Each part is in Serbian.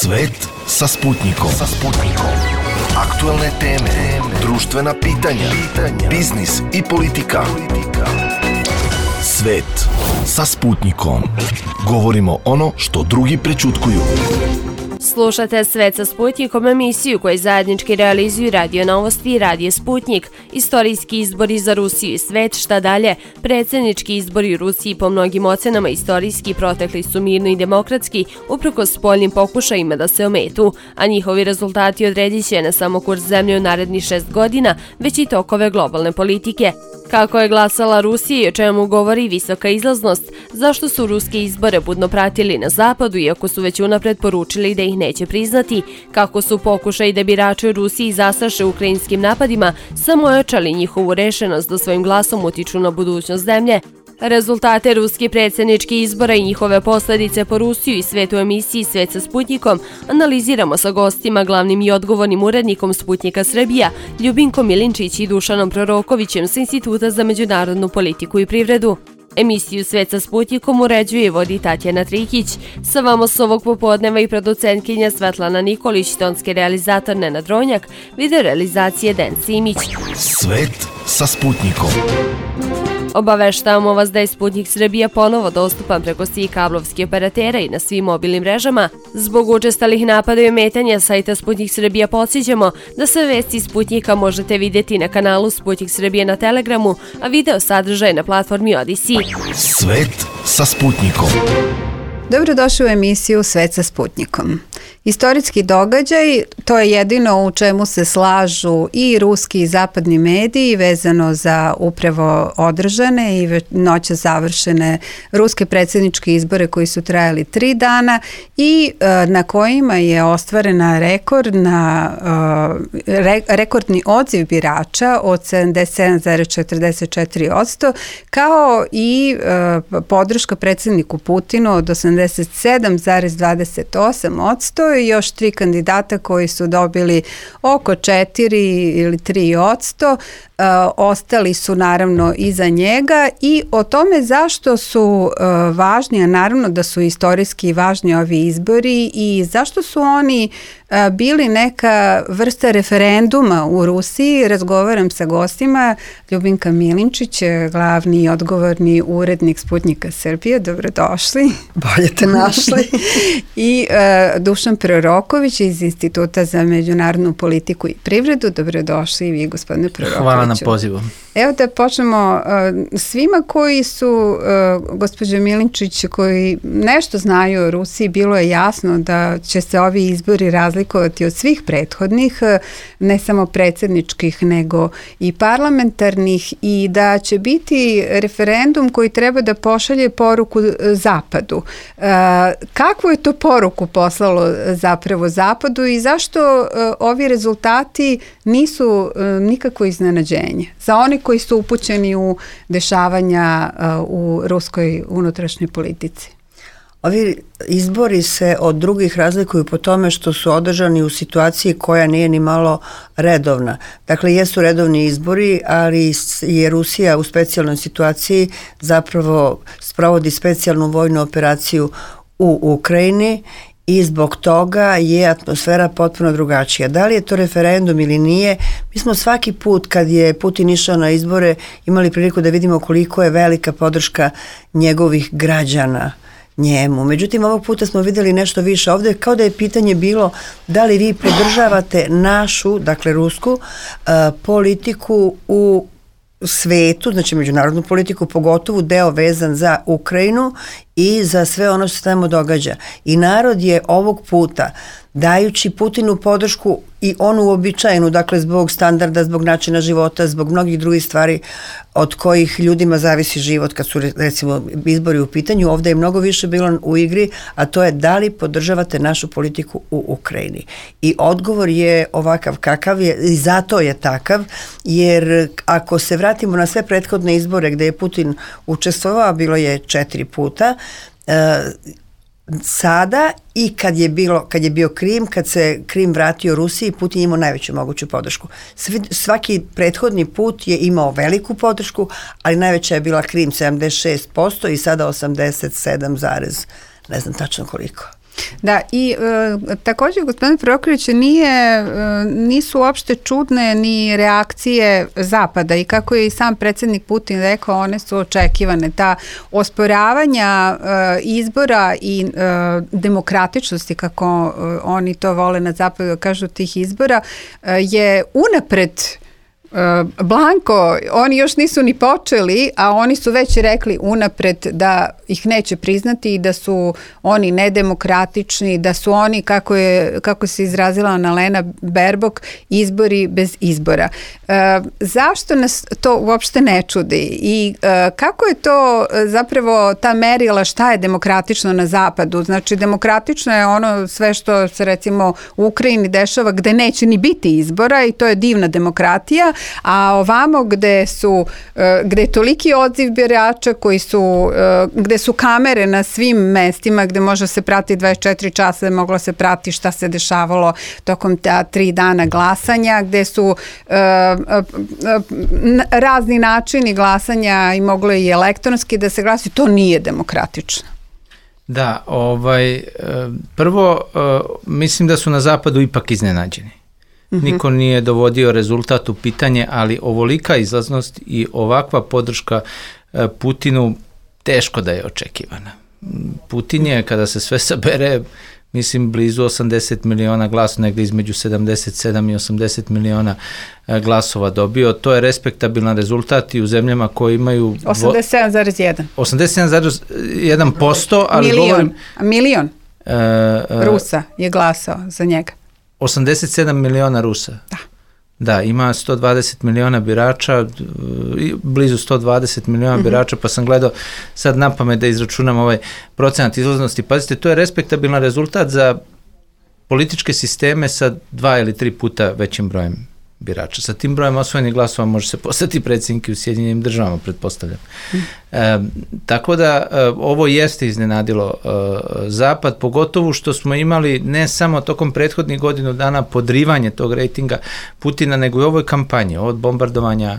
Svet sa Sputnikom. Aktuelne teme, društvena pitanja, biznis i politika. Svet sa Sputnikom. Govorimo ono što drugi prećutkuju. Slušate Svet sa Sputnikom, emisiju koju zajednički realizuju Radio Novosti i Radio Sputnik. Istorijski izbori za Rusiju i svet, šta dalje? Predsjednički izbori u Rusiji po mnogim ocenama istorijski protekli su mirno i demokratski, uprkos spoljnim pokušajima da se ometu, a njihovi rezultati odredit će ne samo kurs zemlje u narednih 6 godina, već i tokove globalne politike. Kako je glasala Rusija i o čemu govori visoka izlaznost, zašto su ruske izbore budno pratili na zapadu iako su već unapred poručili da ih neće priznati, kako su pokušaj da birači u Rusiji zastraše ukrajinskim napadima samo ojačali njihovu rešenost da svojim glasom utiču na budućnost zemlje. Rezultate ruskih predsjedničkih izbora i njihove posljedice po Rusiju i svet u emisiji Svet sa Sputnikom analiziramo sa gostima, glavnim i odgovornim urednikom Sputnika Srbija, Ljubinkom Milinčić i Dušanom Prorokovićem sa Instituta za međunarodnu politiku i privredu. Emisiju Svet sa Sputnikom uređuje i vodi Tatjana Trikić. Sa vama s ovog popodneva i producentkinja Svetlana Nikolić, tonski realizator Nenad Ronjak, video realizacije Den Simić. Svet sa Sputnikom. Obaveštavamo vas da je Sputnik Srbija ponovo dostupan preko svih kablovskih operatera i na svim mobilnim mrežama. Zbog učestalih napada i ometanja sajta Sputnik Srbija podsjećamo da sve vesti Sputnika možete vidjeti na kanalu Sputnik Srbije na Telegramu, a video sadržaj na platformi Odyssey. Svet sa Sputnikom. Dobrodošli u emisiju Svet sa Sputnikom. Istorijski događaj, to je jedino u čemu se slažu i ruski i zapadni mediji vezano za upravo održane i noća završene ruske predsjedničke izbore koji su trajali 3 dana i na kojima je ostvarena rekordni odziv birača od 77,44%, kao i podrška predsjedniku Putinu od 87,28% i još 3 kandidata koji su dobili oko 4 ili 3%. Ostali su naravno iza njega i o tome zašto su važni, a naravno da su istorijski važni ovi izbori i zašto su oni bili neka vrsta referenduma u Rusiji. Razgovaram sa gostima. Ljubinka Milinčić, glavni i odgovorni urednik Sputnika Srbije. Dobrodošli. Bolje te našli. I Dušan Proroković iz Instituta za međunarodnu politiku i privredu. Dobrodošli i vi, gospodine Prorokoviću. Hvala na pozivu. Evo da počnemo svima koji su, gospođo Milinčić, koji nešto znaju o Rusiji, bilo je jasno da će se ovi izbori razlikovati od svih prethodnih, ne samo predsjedničkih nego i parlamentarnih, i da će biti referendum koji treba da pošalje poruku Zapadu. Kakvu je to poruku poslalo zapravo Zapadu i zašto ovi rezultati nisu nikako iznenađenje za oni koji su upućeni u dešavanja u ruskoj unutrašnjoj politici? Ovi izbori se od drugih razlikuju po tome što su održani u situaciji koja nije ni malo redovna. Dakle, jesu redovni izbori, ali je Rusija u specijalnoj situaciji zapravo sprovodi specijalnu vojnu operaciju u Ukrajini i zbog toga je atmosfera potpuno drugačija. Da li je to referendum ili nije, mi smo svaki put kad je Putin išao na izbore imali priliku da vidimo koliko je velika podrška njegovih građana njemu. Međutim, ovog puta smo vidjeli nešto više. Ovdje kao da je pitanje bilo da li vi podržavate našu, dakle rusku, politiku u svetu, znači međunarodnu politiku, pogotovo deo vezan za Ukrajinu i za sve ono što se tamo događa. I narod je ovog puta, dajući Putinu podršku i onu uobičajenu, dakle zbog standarda, zbog načina života, zbog mnogih drugih stvari od kojih ljudima zavisi život kad su recimo izbori u pitanju, ovdje je mnogo više bilo u igri, a to je da li podržavate našu politiku u Ukrajini. I odgovor je ovakav kakav je i zato je takav, jer ako se vratimo na sve prethodne izbore gdje je Putin učestvovao, bilo je 4 puta, sada i kad je bio Krim, kad se Krim vratio Rusiji, Putin je imao najveću moguću podršku. Svaki prethodni put je imao veliku podršku, ali najveća je bila Krim 76% i sada 87, ne znam tačno koliko. Da, i također, gospodine Prokorić, nisu uopšte čudne ni reakcije Zapada i kako je i sam predsjednik Putin rekao, one su očekivane. Ta osporavanja izbora i demokratičnosti, kako oni to vole na Zapadu kažu, tih izbora, je unapred blanko, oni još nisu ni počeli, a oni su već rekli unapred da ih neće priznati i da su oni nedemokratični, da su oni, kako se izrazila Annalena Baerbock, izbori bez izbora. Zašto nas to uopšte ne čudi i kako je to zapravo ta merila šta je demokratično na Zapadu? Znači, demokratično je ono sve što se recimo u Ukrajini dešava gde neće ni biti izbora i to je divna demokratija, a ovamo gde je toliki odziv birača gde su kamere na svim mestima, gde može se prati 24 časa, moglo se prati šta se dešavalo tokom ta 3 dana glasanja, gde su razni načini glasanja i moglo i elektronski da se glasi, to nije demokratično. Da, prvo mislim da su na Zapadu ipak iznenađeni. Niko nije dovodio rezultat u pitanje, ali ovolika izlaznost i ovakva podrška Putinu teško da je očekivana. Putin je, kada se sve sabere, mislim blizu 80 miliona glasova, negde između 77 i 80 miliona glasova dobio. To je respektabilan rezultat i u zemljama koje imaju 87,1. 87,1%, ali milion Rusa je glasao za njega. 87 miliona Rusa. Da, ima 120 miliona birača, blizu 120 miliona birača, pa sam gledao sad napamet da izračunam ovaj procenat izlaznosti. Pazite, to je respektabilan rezultat za političke sisteme sa 2 ili 3 puta većim brojem birača. Sa tim brojem osvojenih glasova može se postati predsjednik u Sjedinjenim Državama, pretpostavljam. Tako da ovo jeste iznenadilo Zapad, pogotovo što smo imali ne samo tokom prethodnih godinu dana podrivanje tog rejtinga Putina, nego i u ovoj kampanji, od bombardovanja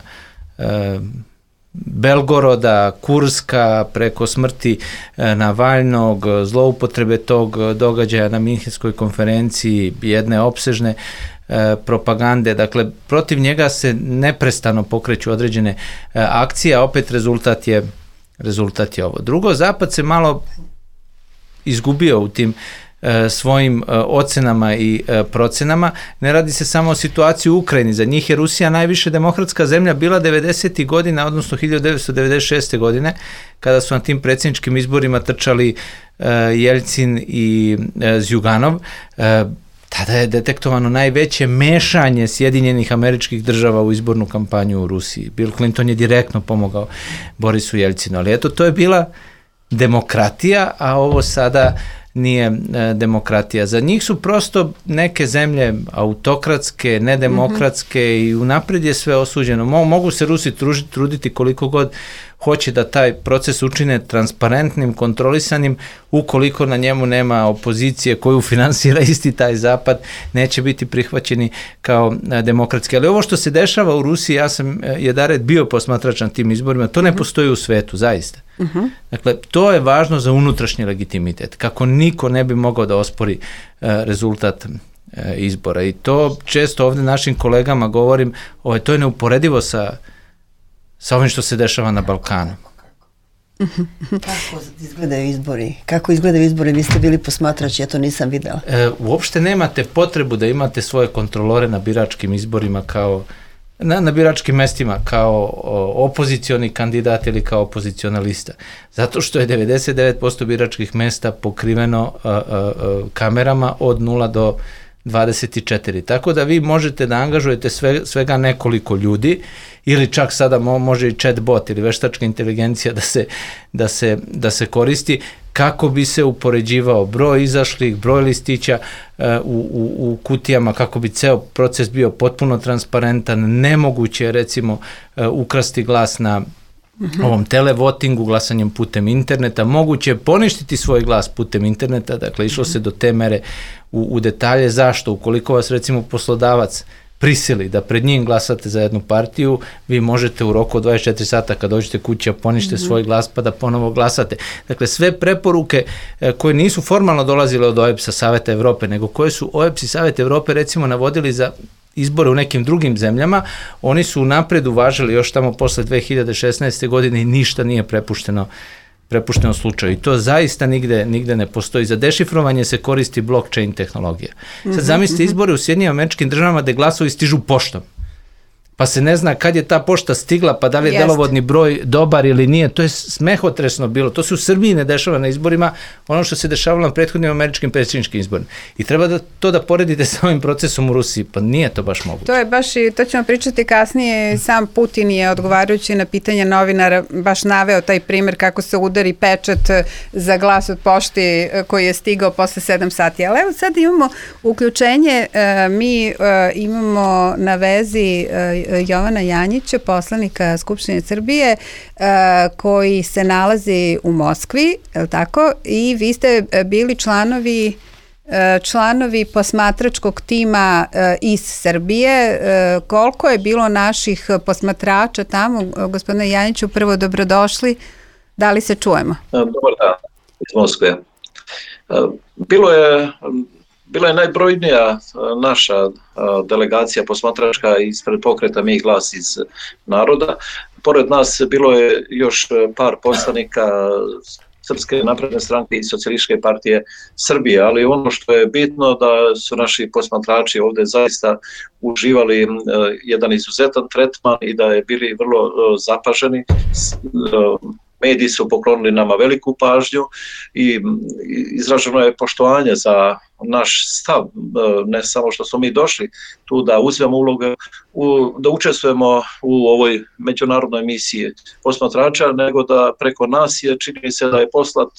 Belgoroda, Kurska, preko smrti Navalnog, zloupotrebe tog događaja na Minhenskoj konferenciji, jedne opsežne propagande, dakle protiv njega se neprestano pokreću određene akcije, a opet rezultat je ovo. Drugo, Zapad se malo izgubio u tim svojim ocenama i procenama. Ne radi se samo o situaciji u Ukrajini, za njih je Rusija najviše demokratska zemlja bila 90. godina, odnosno 1996. godine, kada su na tim predsjedničkim izborima trčali Jeljcin i Zjuganov. Tada je detektovano najveće mešanje Sjedinjenih Američkih Država u izbornu kampanju u Rusiji. Bill Clinton je direktno pomogao Borisu Jeljcinu, ali eto, to je bila demokratija, a ovo sada nije demokratija. Za njih su prosto neke zemlje autokratske, nedemokratske i unapred je sve osuđeno. Mogu se Rusi truditi koliko god hoće da taj proces učine transparentnim, kontrolisanim, ukoliko na njemu nema opozicije koju finansira isti taj Zapad, neće biti prihvaćeni kao demokratski. Ali ovo što se dešava u Rusiji, ja sam jedared bio posmatrač na tim izborima, to ne postoji u svetu, zaista. Dakle, to je važno za unutrašnji legitimitet, kako niko ne bi mogao da ospori rezultat izbora. I to često ovde našim kolegama govorim, to je neuporedivo sa ovim što se dešava na Balkanu. Kako izgledaju izbori? Kako izgledaju izbori? Vi ste bili posmatrač, ja to nisam videla. Uopšte nemate potrebu da imate svoje kontrolore na biračkim izborima na biračkim mestima kao opozicioni kandidat ili kao opoziciona lista. Zato što je 99% biračkih mesta pokriveno kamerama od 0 do 24. Tako da vi možete da angažujete svega nekoliko ljudi ili čak sada može i chatbot ili veštačka inteligencija da se koristi kako bi se upoređivao broj izašlih, broj listića u kutijama, kako bi ceo proces bio potpuno transparentan. Nemoguće je recimo ukrasti glas na ovom televotingu, glasanjem putem interneta. Moguće je poništiti svoj glas putem interneta, dakle išlo se do te mere u detalje. Zašto? Ukoliko vas recimo poslodavac prisili da pred njim glasate za jednu partiju, vi možete u roku od 24 sata kad dođete kući ponište svoj glas pa da ponovo glasate. Dakle, sve preporuke koje nisu formalno dolazile od OEBS-a Saveta Evrope, nego koje su OEBS i Savet Evrope recimo navodili za izbore u nekim drugim zemljama, oni su napred uvažili još tamo posle 2016. godine i ništa nije prepušteno slučaju. I to zaista nigde ne postoji. Za dešifrovanje se koristi blockchain tehnologija. Sad zamislite izbore u Sjedinjenim Američkim Državama gde glasovi stižu poštom. Pa se ne zna kad je ta pošta stigla, pa da li je delovodni broj dobar ili nije. To je smehotresno bilo. To se u Srbiji ne dešava na izborima, ono što se dešavalo na prethodnim američkim predsjedničkim izborima. I treba to da poredite sa ovim procesom u Rusiji, pa nije to baš moguće. To je baš i to ćemo pričati kasnije. Sam Putin je odgovarajući na pitanja novinara baš naveo taj primjer kako se udari pečat za glas od pošti koji je stigao posle 7 sati. Ali evo sad imamo uključenje, mi imamo na vezi Jovana Janjića, poslanika Skupštine Srbije, koji se nalazi u Moskvi, je li tako? I vi ste bili članovi posmatračkog tima iz Srbije. Koliko je bilo naših posmatrača tamo? Gospodine Janjiću, prvo dobrodošli. Da li se čujemo? Dobar dan, iz Moskve. Bila je najbrojnija naša delegacija posmatračka ispred pokreta Mi glas iz naroda. Pored nas bilo je još par poslanika Srpske napredne stranke i Socijalističke partije Srbije, ali ono što je bitno da su naši posmatrači ovde zaista uživali jedan izuzetan tretman i da je bili vrlo zapaženi. Mediji su poklonili nama veliku pažnju i izraženo je poštovanje za naš stav, ne samo što smo mi došli tu da uzmemo ulogu, da učestvujemo u ovoj međunarodnoj misiji posmatrača, nego da preko nas čini se da je poslat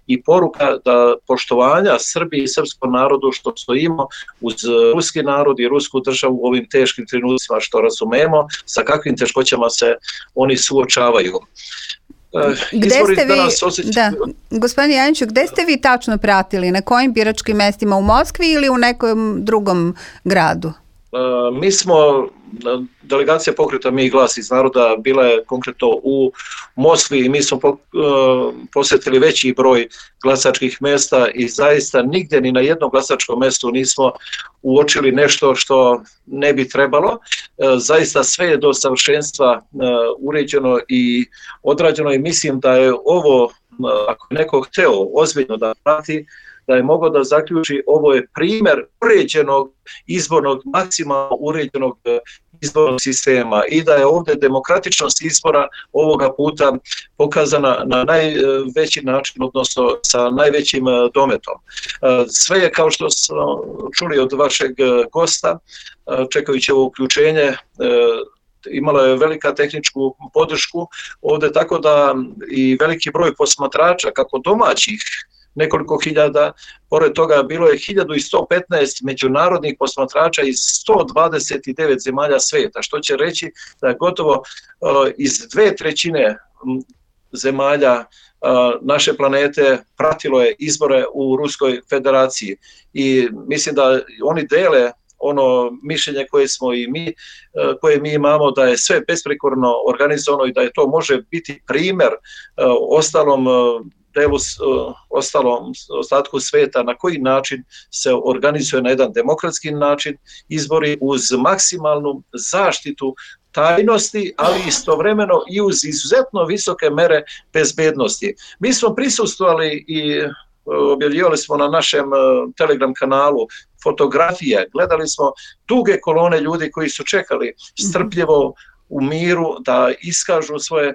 i poruka da poštovanja Srbiji i srpskom narodu što stojimo uz ruski narod i rusku državu u ovim teškim trenucima, što razumemo sa kakvim teškoćama se oni suočavaju. Gde ste vi, gospodine Janjiću, gde ste vi tačno pratili? Na kojim biračkim mestima? U Moskvi ili u nekom drugom gradu? Mi smo, delegacija pokreta Mi glas iz naroda bila je konkretno u Moskvi i mi smo posjetili veći broj glasačkih mesta i zaista nigde ni na jednom glasačkom mestu nismo uočili nešto što ne bi trebalo. Zaista sve je do savršenstva uređeno i odrađeno i mislim da je ovo, ako je neko hteo ozbiljno da prati, da je mogao da zaključi ovo je primjer uređenog izbornog, maksimalno uređenog izbornog sistema i da je ovdje demokratičnost izbora ovoga puta pokazana na najveći način, odnosno sa najvećim dometom. Sve je, kao što smo čuli od vašeg gosta, čekajući ovo uključenje, imala je velika tehničku podršku ovdje, tako da i veliki broj posmatrača, kako domaćih, nekoliko hiljada, pored toga bilo je 1115 međunarodnih posmatrača iz 129 zemalja svijeta, što će reći da je gotovo iz 2/3 zemalja naše planete pratilo je izbore u Ruskoj federaciji i mislim da oni dele ono mišljenje koje mi imamo da je sve besprekorno organizovano i da je to može biti primjer ostalom delu, ostatku sveta na koji način se organizuje na jedan demokratski način izbori uz maksimalnu zaštitu tajnosti, ali istovremeno i uz izuzetno visoke mere bezbednosti. Mi smo prisustvovali i objavljivali smo na našem Telegram kanalu fotografije, gledali smo duge kolone ljudi koji su čekali strpljivo u miru da iskažu svoje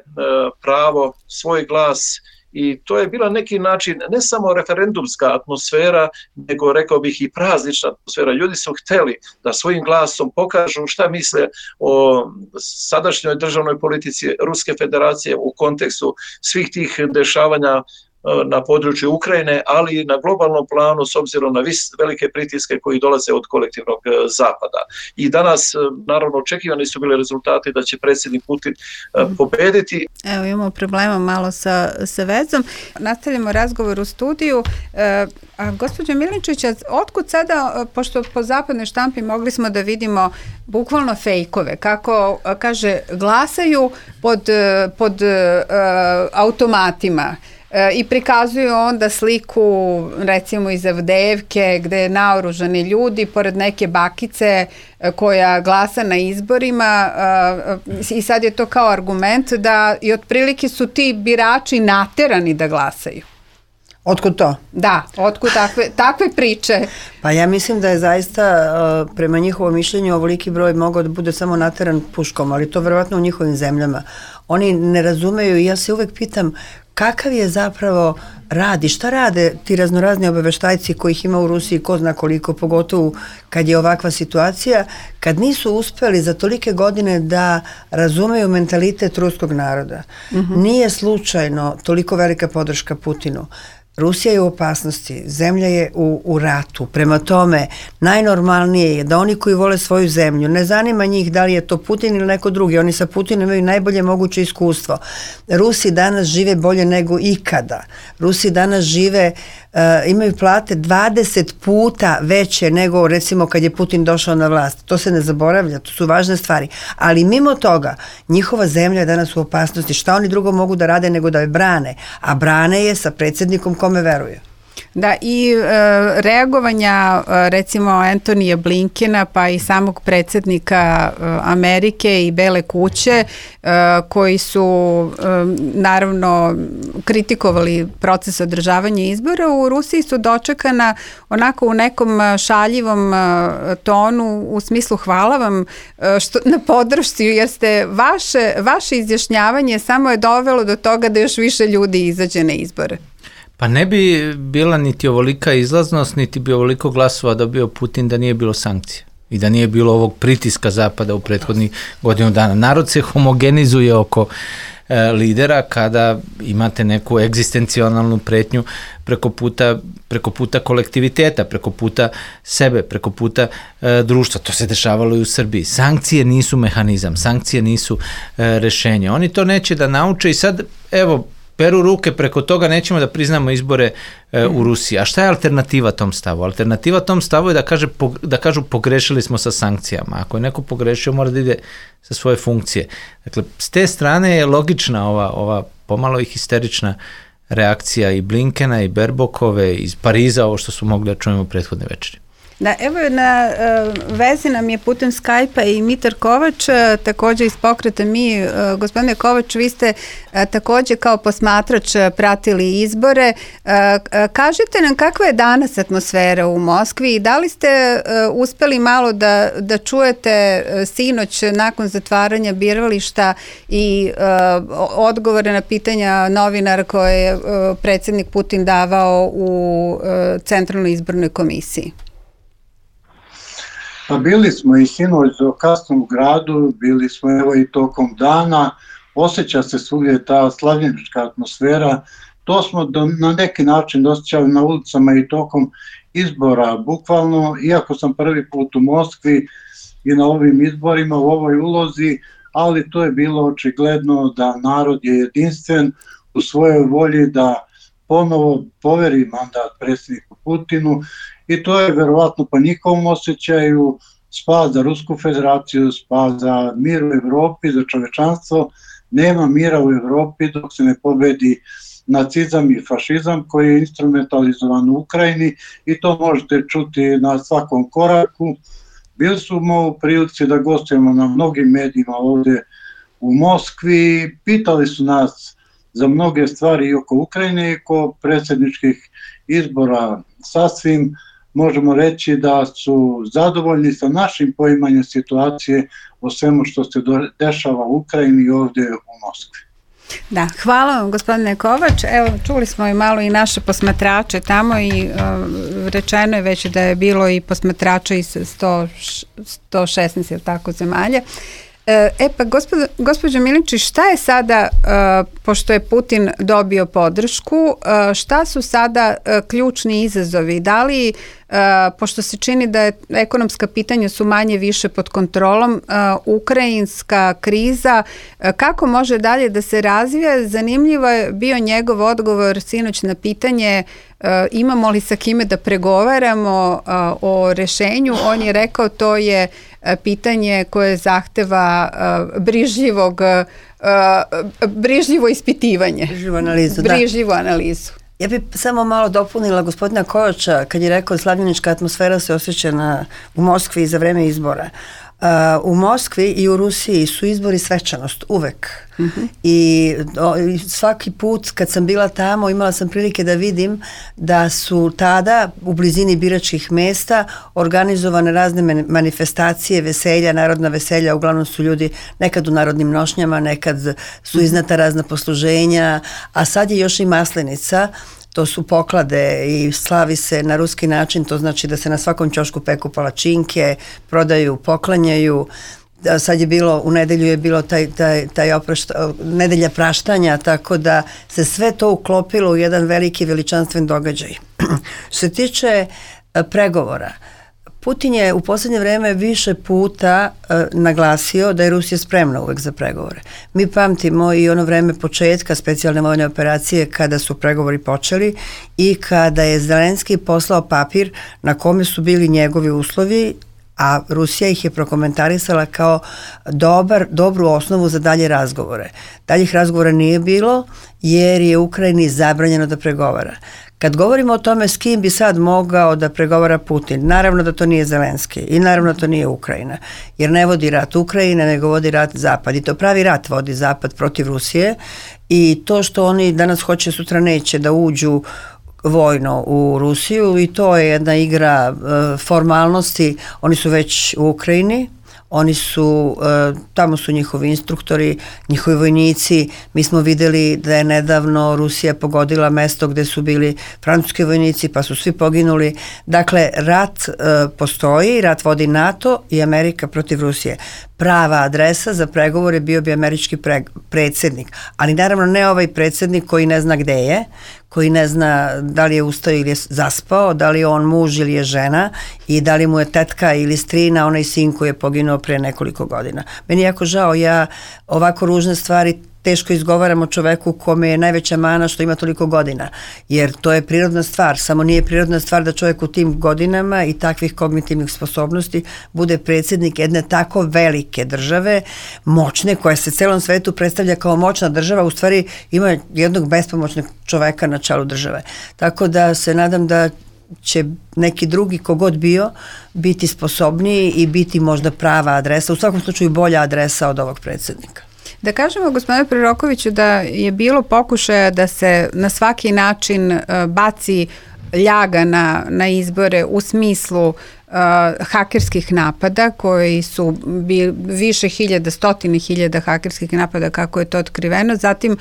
pravo, svoj glas. I to je bila neki način ne samo referendumska atmosfera, nego rekao bih i praznična atmosfera. Ljudi su hteli da svojim glasom pokažu šta misle o sadašnjoj državnoj politici Ruske federacije u kontekstu svih tih dešavanja na području Ukrajine, ali i na globalnom planu s obzirom na velike pritiske koji dolaze od kolektivnog zapada. I danas, naravno, očekivani su bili rezultati da će predsjednik Putin pobediti. Evo, imamo problema malo sa vezom. Nastavljamo razgovor u studiju. Gospođo Milinčić, otkud sada, pošto po zapadnoj štampi mogli smo da vidimo bukvalno fejkove, kako kaže, glasaju pod automatima i prikazuju onda sliku recimo iz Avdejevke gde naoružani ljudi pored neke bakice koja glasa na izborima i sad je to kao argument da i otprilike su ti birači naterani da glasaju. Otkud to? Da, otkud takve priče? Pa ja mislim da je zaista prema njihovom mišljenju ovoliki broj mogao da bude samo nateran puškom, ali to verovatno u njihovim zemljama. Oni ne razumeju i ja se uvek pitam kakav je zapravo rad i šta rade ti raznorazni obaveštajci kojih ima u Rusiji ko zna koliko, pogotovo kad je ovakva situacija, kad nisu uspeli za tolike godine da razumeju mentalitet ruskog naroda. Nije slučajno toliko velika podrška Putinu. Rusija je u opasnosti, zemlja je u ratu, prema tome najnormalnije je da oni koji vole svoju zemlju, ne zanima njih da li je to Putin ili neko drugi, oni sa Putinom imaju najbolje moguće iskustvo. Rusi danas žive bolje nego ikada. Rusi danas žive, imaju plate 20 puta veće nego recimo kad je Putin došao na vlast. To se ne zaboravlja, to su važne stvari. Ali mimo toga, njihova zemlja je danas u opasnosti. Šta oni drugo mogu da rade nego da je brane? A brane je sa predsjednikom kome veruju. Da, i reagovanja recimo Antonija Blinkena pa i samog predsjednika Amerike i Bele kuće koji su naravno kritikovali proces održavanja izbora u Rusiji su dočekana onako u nekom šaljivom tonu u smislu hvala vam na podršci jer ste vaše izjašnjavanje samo je dovelo do toga da još više ljudi izađe na izbore. Pa ne bi bila niti ovolika izlaznost, niti bi ovoliko glasova dobio Putin da nije bilo sankcija i da nije bilo ovog pritiska Zapada u prethodnih godinu dana. Narod se homogenizuje oko lidera kada imate neku egzistencionalnu pretnju preko puta kolektiviteta, preko puta sebe, preko puta društva. To se dešavalo i u Srbiji. Sankcije nisu mehanizam, sankcije nisu rešenje. Oni to neće da nauče i sad, evo, peru ruke preko toga, nećemo da priznamo izbore u Rusiji. A šta je alternativa tom stavu? Alternativa tom stavu je da kažu pogrešili smo sa sankcijama. Ako je neko pogrešio, mora da ide sa svoje funkcije. Dakle, s te strane je logična ova pomalo i histerična reakcija i Blinkena i Berbokove iz Pariza, ovo što su mogli da čujemo prethodne večeri. Da, evo na vezi nam je putem Skype-a i Mitar Kovač, također iz pokreta Mi. Gospodine Kovač, vi ste također kao posmatrač pratili izbore. Kažite nam kakva je danas atmosfera u Moskvi i da li ste uspeli malo da čujete sinoć nakon zatvaranja birališta i odgovore na pitanja novinara koje je predsjednik Putin davao u Centralnoj izbornoj komisiji? Pa bili smo i sinoć do kasno u gradu, bili smo evo i tokom dana, osjeća se svugdje ta slavljenička atmosfera, to smo na neki način osjećali na ulicama i tokom izbora, bukvalno, iako sam prvi put u Moskvi i na ovim izborima u ovoj ulozi, ali to je bilo očigledno da narod je jedinstven u svojoj volji da ponovo poveri mandat predsjedniku Putinu i to je verovatno po njihovom osjećaju spas za Rusku federaciju, spas za mir u Evropi, za čovečanstvo. Nema mira u Evropi dok se ne pobedi nacizam i fašizam koji je instrumentalizovan u Ukrajini i to možete čuti na svakom koraku. Bili smo u prilici da gostujemo na mnogim medijima ovdje u Moskvi, pitali su nas za mnoge stvari i oko Ukrajine i oko predsjedničkih izbora. Sasvim možemo reći da su zadovoljni sa našim poimanjem situacije o svemu što se dešava u Ukrajini i ovdje u Moskvi. Da, hvala vam gospodine Kovač. Evo, čuli smo i malo i naše posmatrače tamo i rečeno je već da je bilo i posmatrača iz 116 tako zemalja. Pa gospođo Milinčić, šta je sada, pošto je Putin dobio podršku, šta su sada ključni izazovi? Da li, pošto se čini da je ekonomska pitanja su manje više pod kontrolom, ukrajinska kriza, kako može dalje da se razvija? Zanimljivo je bio njegov odgovor sinoć na pitanje imamo li sa kime da pregovaramo o rešenju. On je rekao to je pitanje koje zahteva brižljivo ispitivanje. Brižljivu analizu. Ja bih samo malo dopunila gospodina Kojoča kad je rekao slavljenička atmosfera se osjeća u Moskvi za vreme izbora. U Moskvi i u Rusiji su izbori svečanost, uvek. I svaki put kad sam bila tamo imala sam prilike da vidim da su tada u blizini biračkih mesta organizovane razne manifestacije, veselja, narodna veselja, uglavnom su ljudi nekad u narodnim nošnjama, nekad su iznata razna posluženja, a sad je još i Maslenica. To su poklade i slavi se na ruski način, to znači da se na svakom ćošku peku palačinke, prodaju, poklanjaju. Sad je bilo, u nedelju je bilo nedelja praštanja, tako da se sve to uklopilo u jedan veliki veličanstven događaj. Što se tiče pregovora, Putin je u posljednje vreme više puta naglasio da je Rusija spremna uvek za pregovore. Mi pamtimo i ono vreme početka specijalne vojne operacije kada su pregovori počeli i kada je Zelenski poslao papir na kome su bili njegovi uslovi, a Rusija ih je prokomentarisala kao dobru osnovu za dalje razgovore. Daljih razgovora nije bilo jer je Ukrajini zabranjeno da pregovara. Kad govorimo o tome s kim bi sad mogao da pregovara Putin, naravno da to nije Zelenski i naravno da to nije Ukrajina, jer ne vodi rat Ukrajina, nego vodi rat Zapad i to pravi rat vodi Zapad protiv Rusije i to što oni danas hoće, sutra neće da uđu vojno u Rusiju i to je jedna igra formalnosti, oni su već u Ukrajini. Oni su, tamo su njihovi instruktori, njihovi vojnici. Mi smo videli da je nedavno Rusija pogodila mesto gde su bili francuski vojnici pa su svi poginuli. Dakle, rat postoji, rat vodi NATO i Amerika protiv Rusije. Prava adresa za pregovore bio bi američki predsjednik, ali naravno ne ovaj predsjednik koji ne zna gde je, koji ne zna da li je ustao ili je zaspao, da li je on muž ili je žena i da li mu je tetka ili strina onaj sin koji je poginuo pre nekoliko godina. Meni je jako žao, ja ovako ružne stvari teško izgovaram o čoveku kome je najveća mana što ima toliko godina, jer to je prirodna stvar, samo nije prirodna stvar da čovjek u tim godinama i takvih kognitivnih sposobnosti bude predsjednik jedne tako velike države, moćne, koja se celom svetu predstavlja kao moćna država, u stvari ima jednog bespomoćnog čoveka na čelu države. Tako da se nadam da će neki drugi kogod bio biti sposobniji i biti možda prava adresa, u svakom slučaju bolja adresa od ovog predsjednika. Da kažemo, gospodine Prorokoviću, da je bilo pokušaja da se na svaki način baci ljaga na izbore u smislu hakerskih napada koji su više hiljada, stotine hiljada hakerskih napada kako je to otkriveno. Zatim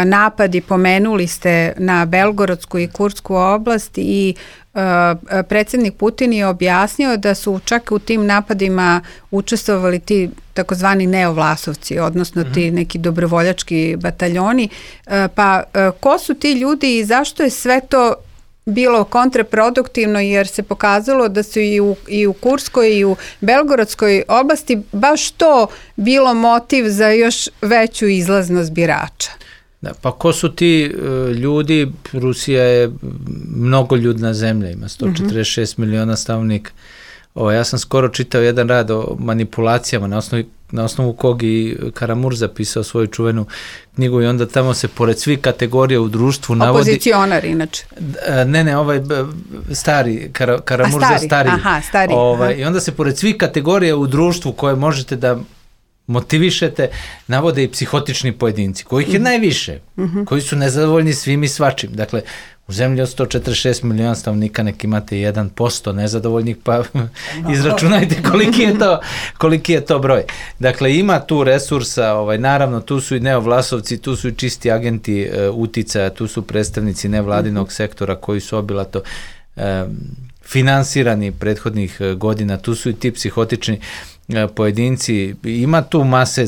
napadi, pomenuli ste, na Belgorodsku i Kursku oblast i predsjednik Putin je objasnio da su čak u tim napadima učestvovali ti takozvani neovlasovci, odnosno ti neki dobrovoljački bataljoni. Pa ko su ti ljudi i zašto je sve to bilo kontraproduktivno, jer se pokazalo da su i u Kurskoj i u Belgorodskoj oblasti baš to bilo motiv za još veću izlaznost birača? Da, pa ko su ti ljudi? Rusija je mnogoljudna zemlja, ima 146 miliona stanovnika. Ja sam skoro čitao jedan rad o manipulacijama na osnovu kog i Karamurza pisao svoju čuvenu knjigu i onda tamo se pored svih kategorija u društvu navodi... Opozicionar inače. Ne, ovaj stari, Karamurza stari. Aha, stari. I onda se pored svih kategorija u društvu koje možete da motivišete, navode i psihotični pojedinci, kojih je najviše, koji su nezadovoljni svim i svačim. Dakle, u zemlji od 146 miliona stanovnika nek imate 1% nezadovoljnih, pa izračunajte koliki je to broj. Dakle, ima tu resursa, naravno, tu su i neovlasovci, tu su i čisti agenti uticaja, tu su predstavnici nevladinog sektora koji su obilato finansirani prethodnih godina, tu su i ti psihotični pojedinci, ima tu mase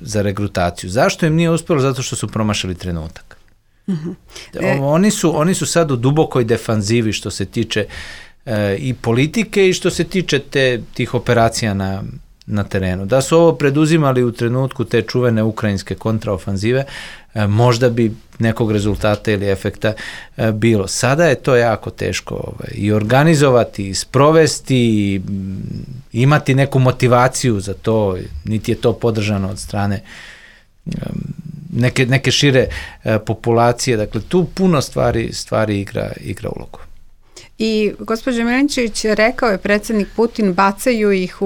za regrutaciju. Zašto im nije uspjelo? Zato što su promašili trenutak. Oni su sad u dubokoj defanzivi što se tiče i politike i što se tiče tih operacija na terenu. Da su ovo preduzimali u trenutku te čuvene ukrajinske kontraofanzive, možda bi nekog rezultata ili efekta bilo. Sada je to jako teško i organizovati, i sprovesti, i imati neku motivaciju za to, niti je to podržano od strane neke šire populacije. Dakle, tu puno stvari igra ulogu. I gospođa Milinčević rekao je predsjednik Putin, bacaju ih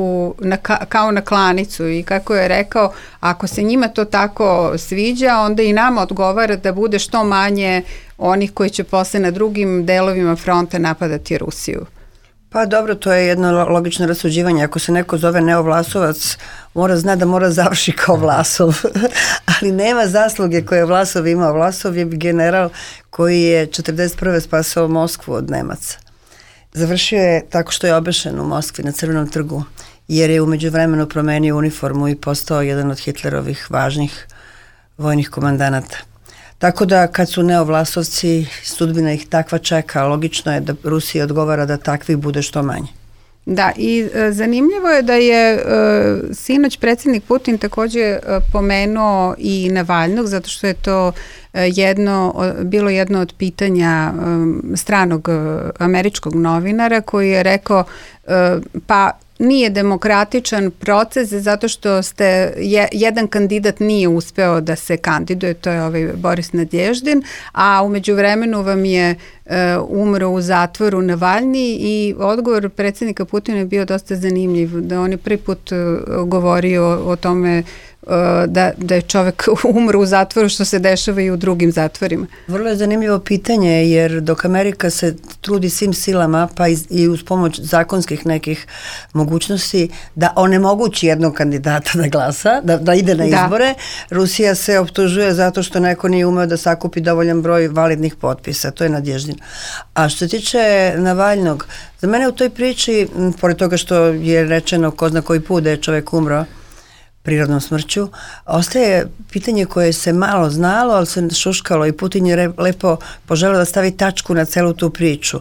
kao na klanicu, i kako je rekao, ako se njima to tako sviđa, onda i nama odgovara da bude što manje onih koji će posle na drugim delovima fronta napadati Rusiju. Pa dobro, to je jedno logično rasuđivanje. Ako se neko zove Neovlasovac, mora zna da mora završi kao Vlasov. Ali nema zasluge koje je Vlasov imao. Vlasov je general koji je 1941. spasao Moskvu od Nemaca. Završio je tako što je obešen u Moskvi na Crvenom trgu, jer je umeđu vremenu promenio uniformu i postao jedan od Hitlerovih važnih vojnih komandanata. Tako da kad su neovlasovci, sudbina ih takva čeka, logično je da Rusija odgovara da takvih bude što manje. Da, i zanimljivo je da je sinoć predsjednik Putin također pomenuo i Navalnog, zato što je to bilo jedno od pitanja stranog američkog novinara, koji je rekao pa nije demokratičan proces zato što jedan kandidat nije uspeo da se kandiduje, to je Boris Nadježdin, a umeđu vremenu vam je umro u zatvoru Navalni, i odgovor predsjednika Putina je bio dosta zanimljiv, da on je prvi put govorio o tome da je čovjek umro u zatvoru, što se dešava i u drugim zatvorima. Vrlo je zanimljivo pitanje, jer dok Amerika se trudi svim silama, pa i uz pomoć zakonskih nekih mogućnosti, da onemogući jednog kandidata da glasa, da ide na izbore, Rusija se optužuje zato što neko nije umeo da sakupi dovoljan broj validnih potpisa. To je Nadježdin. A što se tiče Navalnog, za mene u toj priči, pored toga što je rečeno ko zna koji put da je čovjek umro prirodnom smrću, ostaje pitanje koje se malo znalo, ali se šuškalo, i Putin je lepo poželio da stavi tačku na celu tu priču.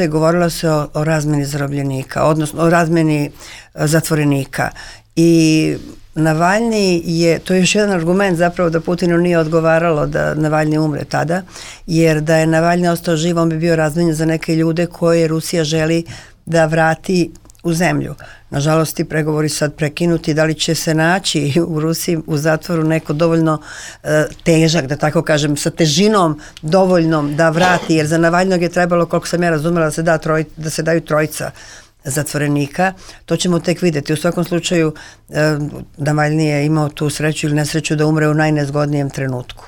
Govorilo se o razmeni zarobljenika, odnosno o razmeni zatvorenika, i Navalni to je još jedan argument zapravo da Putinu nije odgovaralo da Navalni umre tada, jer da je Navalni ostao živ, on bi bio razmenjen za neke ljude koje Rusija želi da vrati u zemlju. Nažalost, ti pregovori sad prekinuti, da li će se naći u Rusiji u zatvoru neko dovoljno težak, da tako kažem, sa težinom dovoljnom da vrati, jer za Navalnog je trebalo, koliko sam ja razumela, da se daju trojica zatvorenika. To ćemo tek vidjeti. U svakom slučaju, Navalni je imao tu sreću ili nesreću da umre u najnezgodnijem trenutku.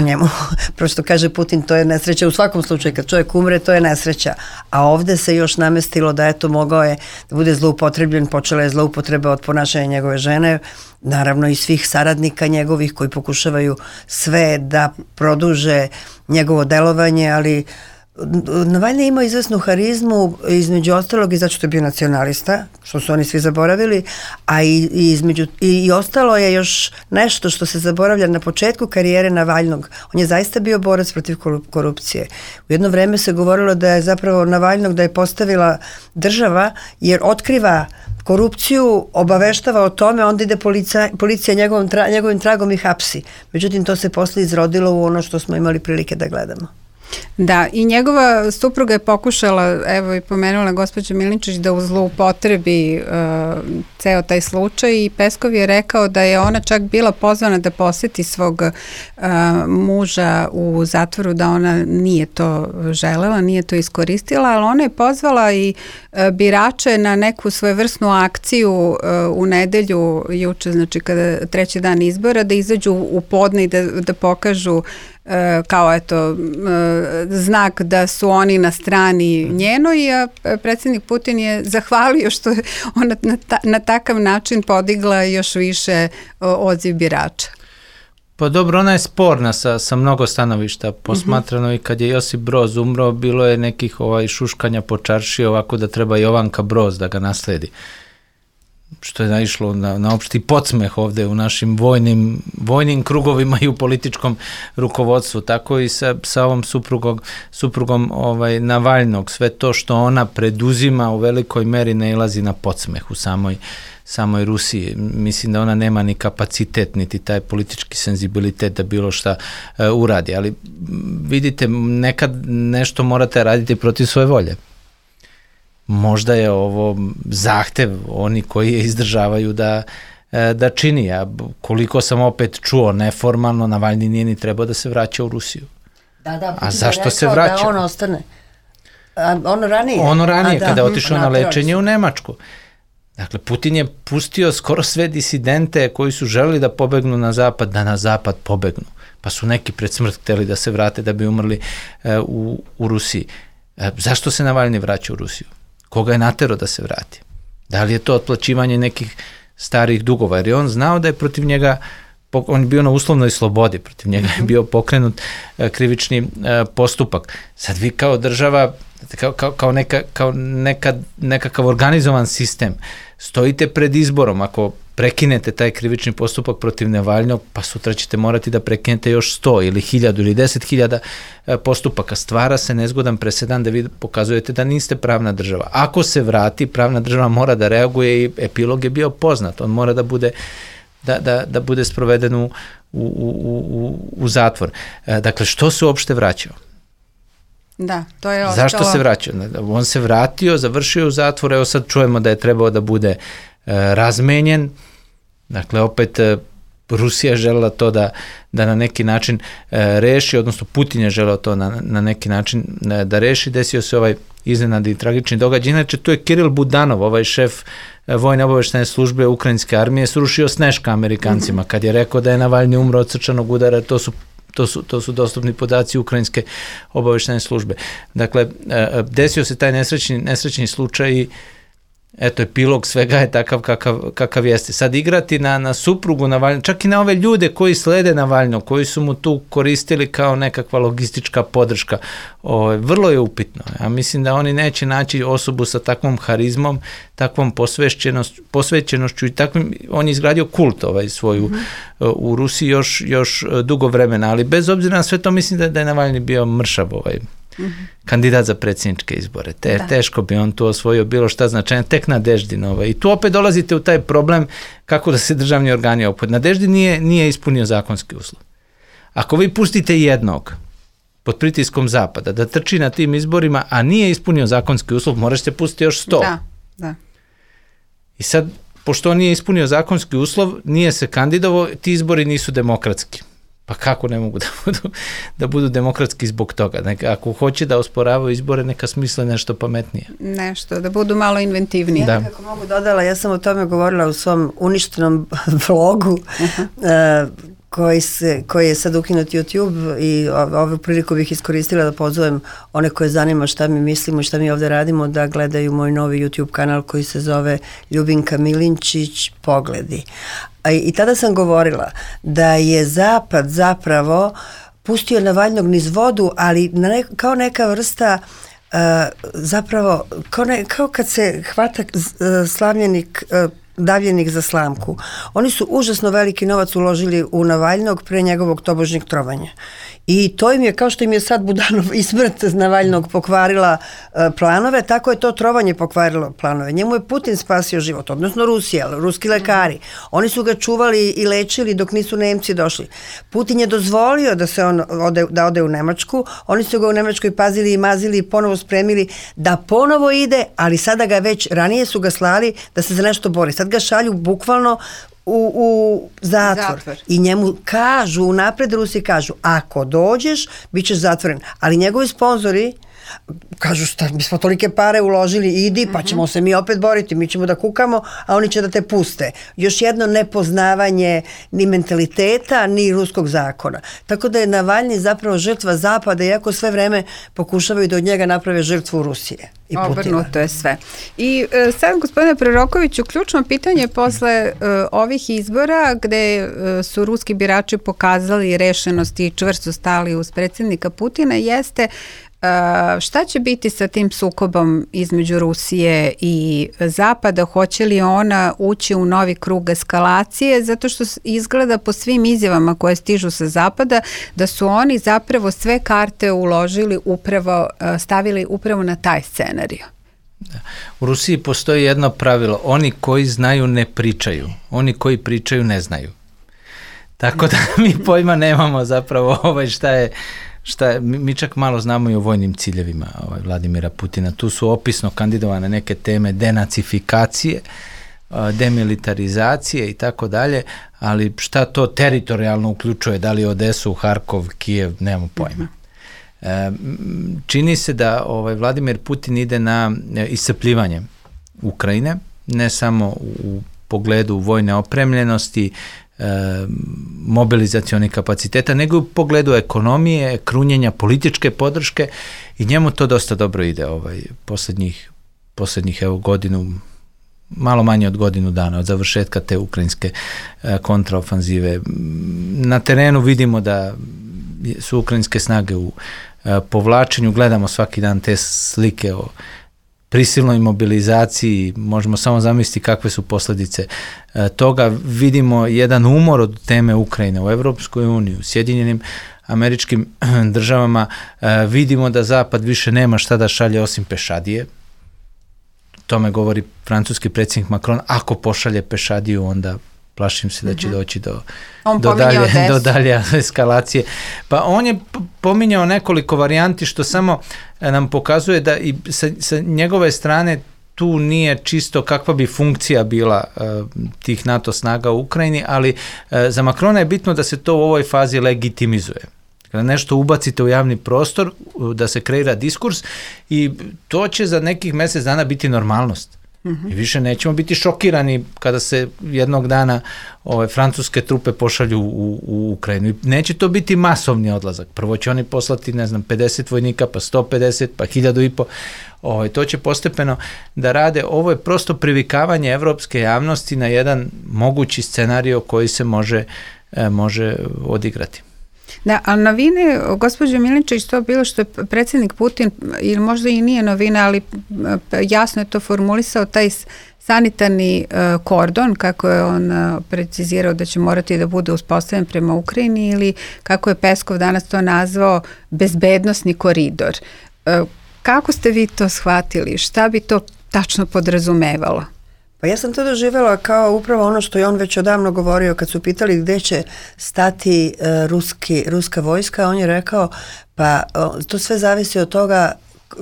Njemu, prosto kaže Putin, to je nesreća u svakom slučaju, kad čovjek umre, to je nesreća, a ovdje se još namestilo da mogao je da bude zloupotrebljen, počela je zloupotreba od ponašanja njegove žene, naravno i svih saradnika njegovih koji pokušavaju sve da produže njegovo delovanje, ali Navalni je imao izvesnu harizmu, između ostalog i zato što je bio nacionalista, što su oni svi zaboravili, a i ostalo je još nešto što se zaboravlja na početku karijere Navalnog. On je zaista bio borac protiv korupcije. U jedno vreme se govorilo da je zapravo Navalnog da je postavila država, jer otkriva korupciju, obaveštava o tome, onda ide policija njegovim tragom i hapsi. Međutim, to se posle izrodilo u ono što smo imali prilike da gledamo. Da, i njegova supruga je pokušala, evo i pomenula gospođa Milinčić, da zloupotrebi ceo taj slučaj, i Peskov je rekao da je ona čak bila pozvana da poseti svog muža u zatvoru, da ona nije to želela, nije to iskoristila, ali ona je pozvala i birače na neku svojevrsnu akciju u nedelju, juče, znači kada treći dan izbora, da izađu u podne i da pokažu kao znak da su oni na strani njenoj, a predsjednik Putin je zahvalio što je ona na takav način podigla još više odziv birača. Pa dobro, ona je sporna sa mnogo stanovišta posmatrano i kad je Josip Broz umro, bilo je nekih šuškanja po čaršiji ovako da treba Jovanka Broz da ga nasledi. Što je naišlo na opšti podsmeh ovde u našim vojnim krugovima i u političkom rukovodstvu. Tako i sa ovom suprugom Navalnog. Sve to što ona preduzima u velikoj meri nailazi na podsmeh u samoj Rusiji. Mislim da ona nema ni kapacitet, niti taj politički senzibilitet da bilo šta uradi. Ali vidite, nekad nešto morate raditi protiv svoje volje. Možda je ovo zahtev oni koji je izdržavaju da čini. A koliko sam opet čuo neformalno, Navalni nije ni trebao da se vraća u Rusiju. A zašto se vraća? Da on ostane. Ono ranije? Kada je otišao na lečenje u Nemačku. Dakle, Putin je pustio skoro sve disidente koji su želeli da pobegnu na zapad, da na zapad pobegnu. Pa su neki pred smrt hteli da se vrate da bi umrli u Rusiji. Zašto se Navalni vraća u Rusiju? Koga je naterao da se vrati? Da li je to otplaćivanje nekih starih dugova? Jer je on znao da je protiv njega, on je bio na uslovnoj slobodi, protiv njega je bio pokrenut krivični postupak. Sad vi kao država, kao nekakav organizovan sistem, stojite pred izborom, ako prekinete taj krivični postupak protiv Navalnog, pa sutra ćete morati da prekinete još 100 ili 1000 ili 10.000 postupaka. Stvara se nezgodan presedan da vi pokazujete da niste pravna država. Ako se vrati, pravna država mora da reaguje i epilog je bio poznat. On mora da bude sproveden u zatvor. Dakle, što se uopšte vraćao? Da, to je ostalo. Zašto se vraćao? On se vratio, završio u zatvor, evo sad čujemo da je trebao da bude razmenjen. Dakle, opet Rusija je želela to da na neki način reši, odnosno Putin je želeo to na neki način da reši. Desio se ovaj iznenadni tragični događaj. Inače, tu je Kiril Budanov, ovaj šef vojne obaveštajne službe ukrajinske armije, srušio sneška Amerikancima kad je rekao da je Navalni umro od srčanog udara. To su dostupni podaci ukrajinske obaveštajne službe. Dakle, desio se taj nesrećni slučaj i eto, epilog svega je takav kakav jeste. Sad igrati na suprugu Navalnog, čak i na ove ljude koji slede Navalnog, koji su mu tu koristili kao nekakva logistička podrška, vrlo je upitno. Ja mislim da oni neće naći osobu sa takvom harizmom, takvom posvećenošću i takvim, on je izgradio kult svoju u Rusiji još dugo vremena, ali bez obzira na sve to mislim da je Navalni bio mršav kandidat za predsjedničke izbore. Teško bi on tu osvojio bilo šta značajno, tek Nadeždin. I tu opet dolazite u taj problem kako da se državni organi opod. Nadeždin nije ispunio zakonski uslov. Ako vi pustite jednog pod pritiskom Zapada da trči na tim izborima, a nije ispunio zakonski uslov, možete pustiti još 100. Da. I sad, pošto on nije ispunio zakonski uslov, nije se kandidovao, ti izbori nisu demokratski. Pa kako ne mogu da budu demokratski zbog toga? Ako hoće da osporavaju izbore, neka smisle nešto pametnije. Nešto, da budu malo inventivniji. Ja nekako mogu dodala, ja sam o tome govorila u svom uništenom vlogu, koji je sad ukinut YouTube i ovu priliku bih iskoristila da pozovem one koje zanima šta mi mislimo i šta mi ovde radimo da gledaju moj novi YouTube kanal koji se zove Ljubinka Milinčić Pogledi. I tada sam govorila da je Zapad zapravo pustio Navalnog niz vodu, ali kao neka vrsta zapravo, kao kad se hvata slavljenik davljenik za slamku. Oni su užasno veliki novac uložili u Navalnog pre njegovog tobožnjeg trovanja. I to im je, kao što im je sad Budanov i smrt Navalnog pokvarila planove, tako je to trovanje pokvarilo planove. Njemu je Putin spasio život, odnosno Rusija, ruski lekari. Oni su ga čuvali i lečili dok nisu Nemci došli. Putin je dozvolio da ode u Nemačku, oni su ga u Nemačkoj pazili i mazili i ponovo spremili da ponovo ide, ali sada ga već, ranije su ga slali da se za nešto bori. Sad ga šalju bukvalno u zatvor. I njemu kažu, unapred Rusi kažu, ako dođeš, bit ćeš zatvoren. Ali njegovi sponzori, Kažu šta, mi smo tolike pare uložili, idi pa ćemo se mi opet boriti, mi ćemo da kukamo, a oni će da te puste. Još jedno nepoznavanje ni mentaliteta, ni ruskog zakona. Tako da je Navalni zapravo žrtva Zapada, iako sve vreme pokušavaju da od njega naprave žrtvu Rusije. Obrnuto je sve. I sad, gospodine Prorokoviću, ključno pitanje posle ovih izbora gde su ruski birači pokazali rešenost i čvrsto stali uz predsjednika Putina jeste šta će biti sa tim sukobom između Rusije i Zapada? Hoće li ona ući u novi krug eskalacije? Zato što izgleda po svim izjavama koje stižu sa Zapada da su oni zapravo sve karte uložili upravo, stavili upravo na taj scenarij. U Rusiji postoji jedno pravilo, oni koji znaju ne pričaju, oni koji pričaju ne znaju. Tako da mi pojma nemamo zapravo šta je, mi čak malo znamo i o vojnim ciljevima Vladimira Putina. Tu su opisno kandidovane neke teme denacifikacije, demilitarizacije i tako dalje, ali šta to teritorijalno uključuje, da li Odesu, Harkov, Kijev, nemamo pojma. Čini se da Vladimir Putin ide na iscrpljivanje Ukrajine, ne samo u pogledu vojne opremljenosti, mobilizacionih kapaciteta, nego u pogledu ekonomije, političke podrške i njemu to dosta dobro ide poslednjih godinu, malo manje od godinu dana od završetka te ukrajinske kontraofanzive. Na terenu vidimo da su ukrajinske snage u povlačenju, gledamo svaki dan te slike o prisilnoj mobilizaciji, možemo samo zamisliti kakve su posljedice toga. Vidimo jedan umor od teme Ukrajine u Evropskoj uniji, u Sjedinjenim Američkim Državama. Vidimo da Zapad više nema šta da šalje osim pešadije. Tome govori francuski predsjednik Macron. Ako pošalje pešadiju, onda plašim se da će doći do dalje eskalacije. Pa on je pominjao nekoliko varijanti što samo nam pokazuje da i sa njegove strane tu nije čisto kakva bi funkcija bila tih NATO snaga u Ukrajini, ali za Macrona je bitno da se to u ovoj fazi legitimizuje. Kada nešto ubacite u javni prostor, da se kreira diskurs i to će za nekih mjesec dana biti normalnost. I više nećemo biti šokirani kada se jednog dana francuske trupe pošalju u Ukrajinu. I neće to biti masovni odlazak. Prvo će oni poslati, 50 vojnika, pa 150, pa 1500. To će postepeno da rade. Ovo je prosto privikavanje evropske javnosti na jedan mogući scenario koji se može odigrati. Da, ali novine, gospođo Milinčić, to bilo što je predsjednik Putin, ili možda i nije novina, ali jasno je to formulisao, taj sanitarni kordon, kako je on precizirao da će morati da bude uspostavljen prema Ukrajini, ili kako je Peskov danas to nazvao, bezbednosni koridor. Kako ste vi to shvatili? Šta bi to tačno podrazumevalo? Pa ja sam to doživjela kao upravo ono što je on već odavno govorio kad su pitali gdje će stati ruska vojska. On je rekao pa to sve zavisi od toga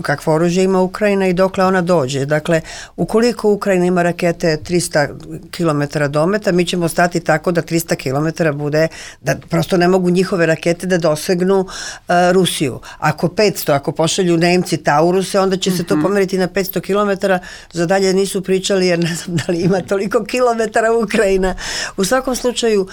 kakvo oružje ima Ukrajina i dokle ona dođe. Dakle, ukoliko Ukrajina ima rakete 300 km dometa, mi ćemo stati tako da 300 km bude, da prosto ne mogu njihove rakete da dosegnu Rusiju. Ako 500, ako pošalju Nemci Tauruse, onda će se to pomeriti na 500 km, za dalje nisu pričali jer ne znam da li ima toliko kilometara Ukrajina. U svakom slučaju,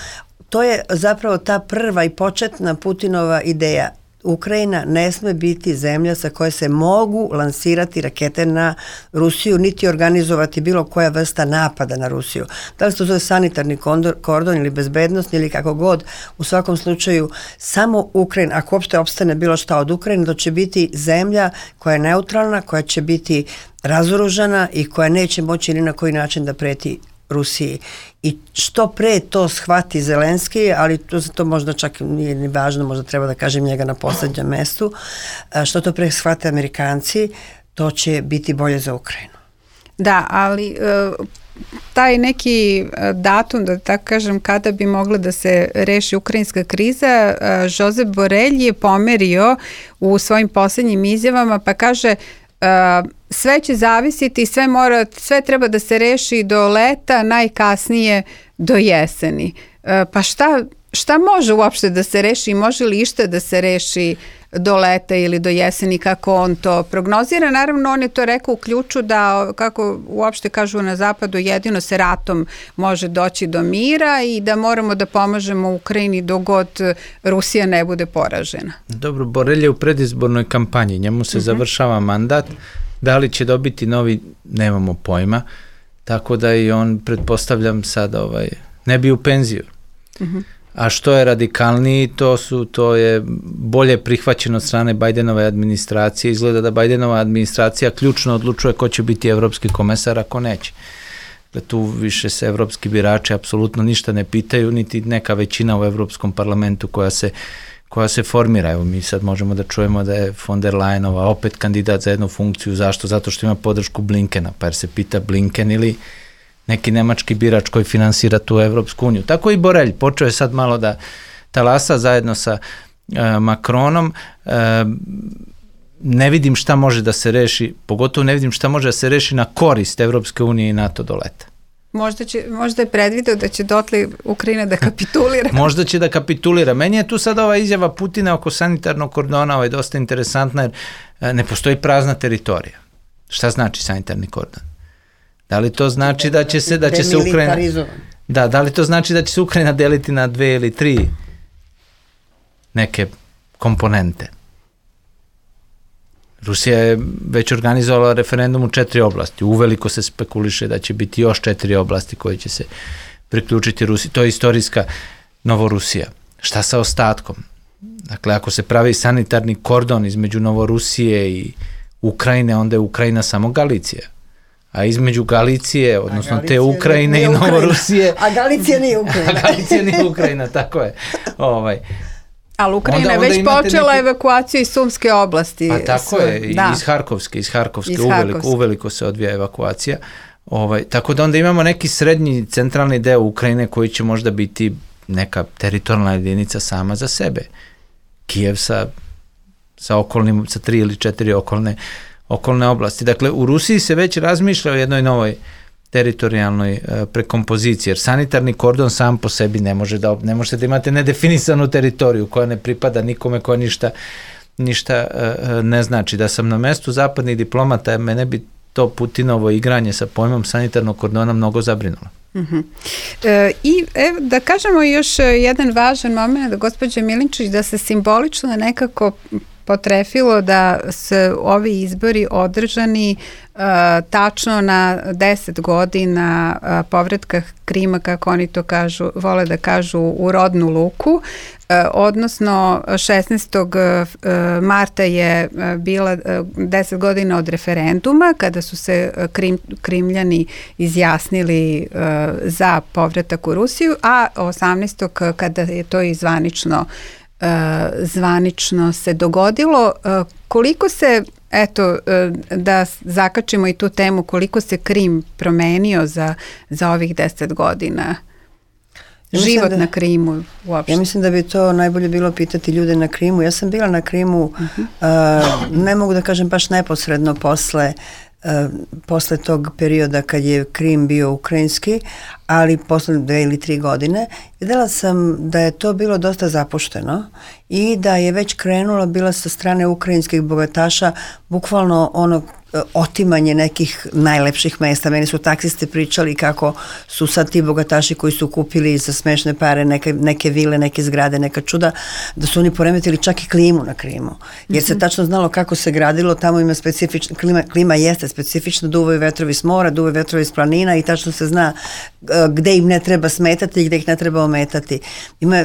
to je zapravo ta prva i početna Putinova ideja. Ukrajina ne sme biti zemlja sa koje se mogu lansirati rakete na Rusiju, niti organizovati bilo koja vrsta napada na Rusiju. Da li se to zove sanitarni kordon ili bezbednosni ili kako god, u svakom slučaju samo Ukrajina, ako uopšte opstane bilo šta od Ukrajine, to će biti zemlja koja je neutralna, koja će biti razoružana i koja neće moći ni na koji način da preti Rusiji. I što pre to shvati Zelenski, ali to možda čak nije ni važno, možda treba da kažem njega na poslednjem mestu, što to pre shvate Amerikanci, to će biti bolje za Ukrajinu. Da, ali taj neki datum, da tako kažem, kada bi mogla da se reši ukrajinska kriza, Josep Borelj je pomerio u svojim posljednjim izjavama, pa kaže sve će zavisiti, sve treba da se reši do leta, najkasnije do jeseni. Pa šta može uopšte da se reši i može li išta da se reši do leta ili do jeseni, kako on to prognozira. Naravno, on je to rekao u ključu da, kako uopšte kažu na zapadu, jedino se ratom može doći do mira i da moramo da pomažemo Ukrajini dok god Rusija ne bude poražena. Dobro, Borelj je u predizbornoj kampanji, njemu se završava mandat, da li će dobiti novi, nemamo pojma, tako da i on, pretpostavljam sad, ne bi u penziju. A što je radikalniji, to je bolje prihvaćeno od strane Bajdenove administracije. Izgleda da Bajdenova administracija ključno odlučuje ko će biti evropski komesar, ako neće. Tu više se evropski birači apsolutno ništa ne pitaju, niti neka većina u Evropskom parlamentu koja se formira. Evo, mi sad možemo da čujemo da je von der Leyenova opet kandidat za jednu funkciju. Zašto? Zato što ima podršku Blinkena, pa jer se pita Blinken ili neki nemački birač koji finansira tu Evropsku uniju. Tako i Borelj počeo je sad malo da talasa zajedno sa Macronom. Ne vidim šta može da se reši, pogotovo ne vidim šta može da se reši na korist Evropske unije i NATO do leta. Možda je predvideo da će dotle Ukrajina da kapitulira. Možda će da kapitulira. Meni je tu sad ova izjava Putina oko sanitarnog kordona dosta interesantna, jer ne postoji prazna teritorija. Šta znači sanitarni kordon? Da li to znači da će se Ukrajina... Da li to znači da će se Ukrajina deliti na 2 ili 3 neke komponente? Rusija je već organizovala referendum u 4 oblasti. Uveliko se spekuliše da će biti još 4 oblasti koje će se priključiti Rusiji. To je istorijska Novorusija. Šta sa ostatkom? Dakle, ako se pravi sanitarni kordon između Novorusije i Ukrajine, onda je Ukrajina samo Galicija. A između Galicije, odnosno te Ukrajine i Novorusije... A Galicija nije Ukrajina. A Galicija nije Ukrajina, tako je. Ali Ukrajina je već počela evakuaciju iz Sumske oblasti. Pa tako je, iz Harkovske uveliko se odvija evakuacija. Tako da onda imamo neki srednji centralni deo Ukrajine koji će možda biti neka teritorijalna jedinica sama za sebe. Kijev sa okolnim, sa 3 ili 4 okolne oblasti. Dakle, u Rusiji se već razmišlja o jednoj novoj teritorijalnoj prekompoziciji, jer sanitarni kordon sam po sebi ne možete da imate nedefinisanu teritoriju koja ne pripada nikome, koja ništa ne znači. Da sam na mestu zapadnih diplomata, mene bi to Putinovo igranje sa pojmom sanitarnog kordona mnogo zabrinulo. I da kažemo još jedan važan moment, da gospođa Milinčić, da se simbolično nekako potrefilo da se ovi izbori održani tačno na 10 godina povratka Krima, kako oni to vole da kažu, u rodnu luku, odnosno 16. marta je bila 10 godina od referenduma kada su se Krimljani izjasnili za povratak u Rusiju, a 18. kada je to i zvanično se dogodilo. Koliko se, da zakačimo i tu temu, koliko se Krim promenio za ovih 10 godina? Život na Krimu uopšte. Ja mislim da bi to najbolje bilo pitati ljude na Krimu. Ja sam bila na Krimu, ne mogu da kažem baš neposredno posle tog perioda kad je Krim bio ukrajinski, ali posle 2 ili 3 godine videla sam da je to bilo dosta zapušteno i da je već krenulo bila sa strane ukrajinskih bogataša bukvalno otimanje nekih najlepših mesta. Meni su taksisti pričali kako su sad ti bogataši koji su kupili za smešne pare neke vile, neke zgrade, neka čuda, da su oni poremetili čak i klimu na Krimu. Jer se tačno znalo kako se gradilo, tamo ima specifična, klima jeste specifična, duvaju vetrovi s mora, duvaju vetrovi s planina i tačno se zna gde im ne treba smetati i gde ih ne treba ometati.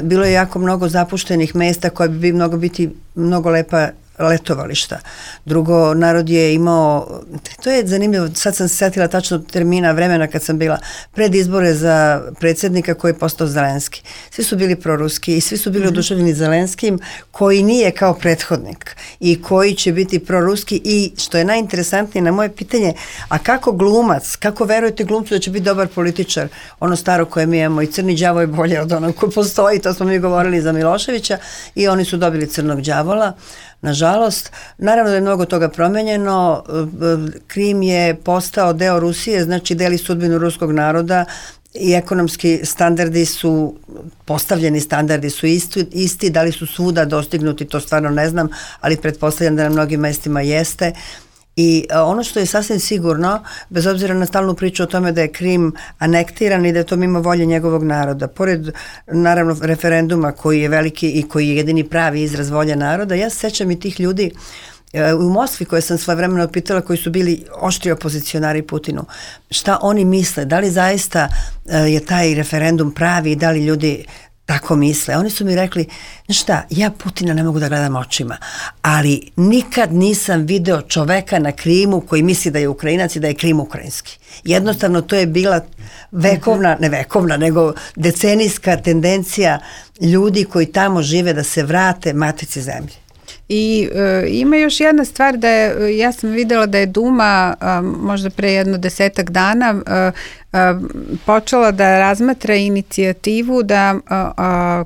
Bilo je jako mnogo zapuštenih mesta koje bi moglo biti mnogo lepa letovališta. Drugo, narod je imao, to je zanimljivo, sad sam se setila tačno termina vremena kad sam bila pred izbore za predsjednika koji je postao Zelenski. Svi su bili proruski i svi su bili oduševljeni Zelenskim, koji nije kao prethodnik i koji će biti proruski i što je najinteresantnije na moje pitanje, a kako glumac, kako verujete glumcu da će biti dobar političar, ono staro koje mi imamo i crni đavo je bolje od onog koji postoji, to smo mi govorili za Miloševića i oni su dobili crnog đavola. Nažalost, naravno da je mnogo toga promenjeno, Krim je postao deo Rusije, znači deli sudbinu ruskog naroda i ekonomski standardi su, postavljeni standardi su isti, da li su svuda dostignuti, to stvarno ne znam, ali pretpostavljam da na mnogim mestima jeste. I ono što je sasvim sigurno, bez obzira na stalnu priču o tome da je Krim anektiran i da je to mimo volje njegovog naroda, pored naravno referenduma koji je veliki i koji je jedini pravi izraz volje naroda, ja se sećam i tih ljudi u Moskvi koje sam svojevremeno pitala, koji su bili oštri opozicionari Putinu, šta oni misle, da li zaista je taj referendum pravi i da li ljudi tako misle. Oni su mi rekli, znaš šta, ja Putina ne mogu da gledam očima, ali nikad nisam video čoveka na Krimu koji misli da je Ukrajinac i da je Krim ukrajinski. Jednostavno to je bila vekovna, ne vekovna, nego decenijska tendencija ljudi koji tamo žive da se vrate matici zemlji. I ima još jedna stvar da je, ja sam videla da je Duma možda pre jedno 10 dana počela da razmatra inicijativu da,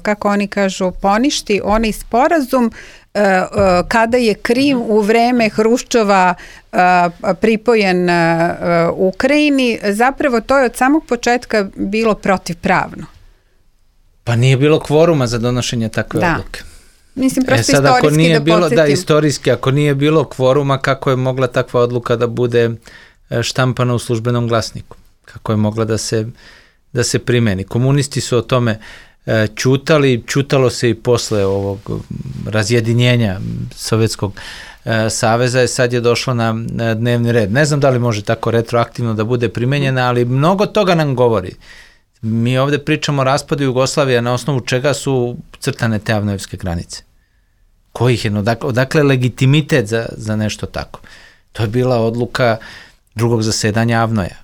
kako oni kažu, poništi onaj sporazum kada je Krim u vreme Hruščova pripojen Ukrajini. Zapravo to je od samog početka bilo protivpravno. Pa nije bilo kvoruma za donošenje takve odluke. Mislim, prosto sad, istorijski ako nije da bilo, podsjetim. da, istorijski, ako nije bilo kvoruma, kako je mogla takva odluka da bude štampana u službenom glasniku? Kako je mogla da se primeni? Komunisti su o tome čutalo se i posle ovog razjedinjenja Sovjetskog saveza, sad je došlo na dnevni red. Ne znam da li može tako retroaktivno da bude primenjena, ali mnogo toga nam govori. Mi ovde pričamo o raspadu Jugoslavije, na osnovu čega su crtane te avnojevske granice. Kojih je, odakle legitimitet za nešto tako? To je bila odluka drugog zasedanja Avnoja.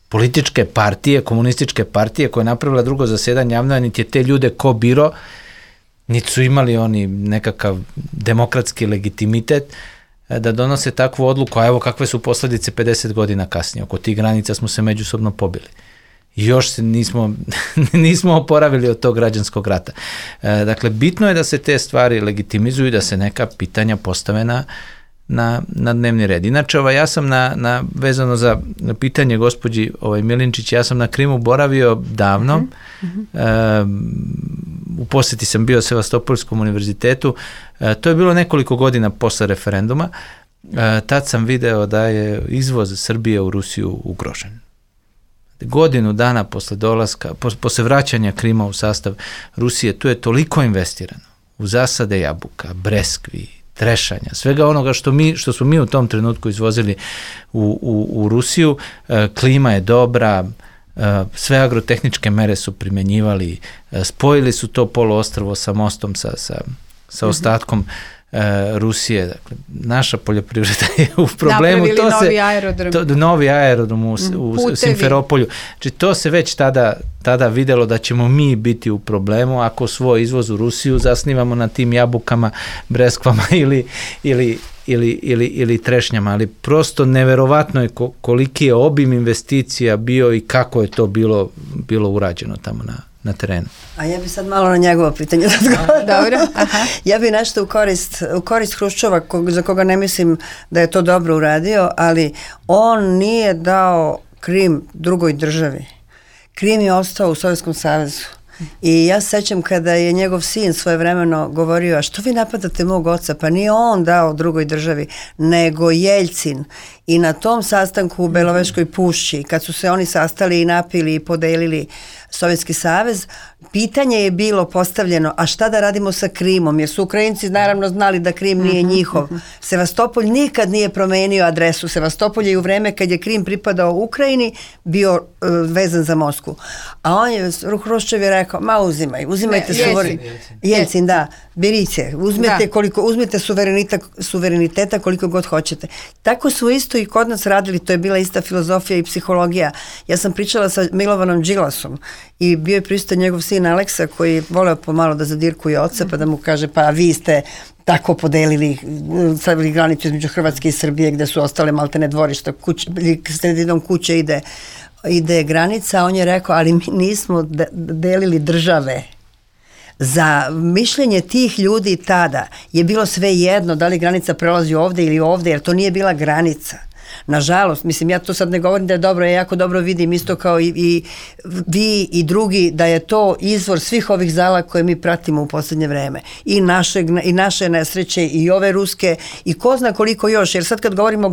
Političke partije, komunističke partije koje je napravila drugo zasedanje Avnoja, niti je te ljude ko biro, niti su imali oni nekakav demokratski legitimitet da donose takvu odluku, a evo kakve su posledice 50 godina kasnije. Oko tih granica smo se međusobno pobili. I još se nismo oporavili od tog građanskog rata. Dakle, bitno je da se te stvari legitimizuju i da se neka pitanja postave na dnevni red. Inače, ja sam vezano za pitanje gospođi Milinčić, ja sam na Krimu boravio davno, u poseti sam bio Sevastopolskom univerzitetu, to je bilo nekoliko godina posle referenduma, tad sam video da je izvoz Srbije u Rusiju ugrožen. Godinu dana posle dolaska, posle vraćanja Krima u sastav Rusije, tu je toliko investirano u zasade jabuka, breskvi, trešanja, svega onoga što smo mi u tom trenutku izvozili u Rusiju. Klima je dobra, sve agrotehničke mere su primenjivali, spojili su to poluostrvo sa mostom, sa ostatkom Rusije. Dakle, naša poljoprivreda je u problemu. Napravili novi aerodrom. Novi aerodrom u Simferopolju. Znači, to se već tada videlo da ćemo mi biti u problemu ako svoj izvoz u Rusiju zasnivamo na tim jabukama, breskvama ili trešnjama, ali prosto neverovatno je koliki je obim investicija bio i kako je to bilo urađeno tamo na terenu. A ja bi sad malo na njegovo pitanje Dobro. Aha. Ja bi nešto u korist Hruščova, za koga ne mislim da je to dobro uradio, ali on nije dao Krim drugoj državi. Krim je ostao u Sovjetskom savezu. I ja se sećam kada je njegov sin svojevremeno govorio, a što vi napadate mog oca? Pa nije on dao drugoj državi, nego Jeljcin. I na tom sastanku u Beloveškoj pušći, kad su se oni sastali i napili i podelili Sovjetski savez, pitanje je bilo postavljeno, a šta da radimo sa Krimom? Jer su Ukrajinci naravno znali da Krim nije njihov. Sevastopolj nikad nije promenio adresu. Sevastopolj je u vreme kad je Krim pripadao Ukrajini bio vezan za Moskvu. A on je, Hruščov je rekao, uzimajte Jeljcin, da, berice, uzmete suvereniteta koliko god hoćete. Tako su isto i kod nas radili, to je bila ista filozofija i psihologija. Ja sam pričala sa Milovanom Đilasom i bio je prisutan njegov sin Aleksa koji je voleo pomalo da zadirkuje oca pa da mu kaže pa vi ste tako podelili, stavili granicu između Hrvatske i Srbije gde su ostale maltene dvorišta, sredinom kuće ide granica, on je rekao ali mi nismo delili države. Za mišljenje tih ljudi tada je bilo sve jedno da li granica prelazi ovde ili ovde, jer to nije bila granica. Nažalost, mislim, ja to sad ne govorim da je dobro, ja jako dobro vidim isto kao i vi i drugi, da je to izvor svih ovih zala koje mi pratimo u posljednje vreme. I naše nesreće, i ove ruske, i ko zna koliko još, jer sad kad govorimo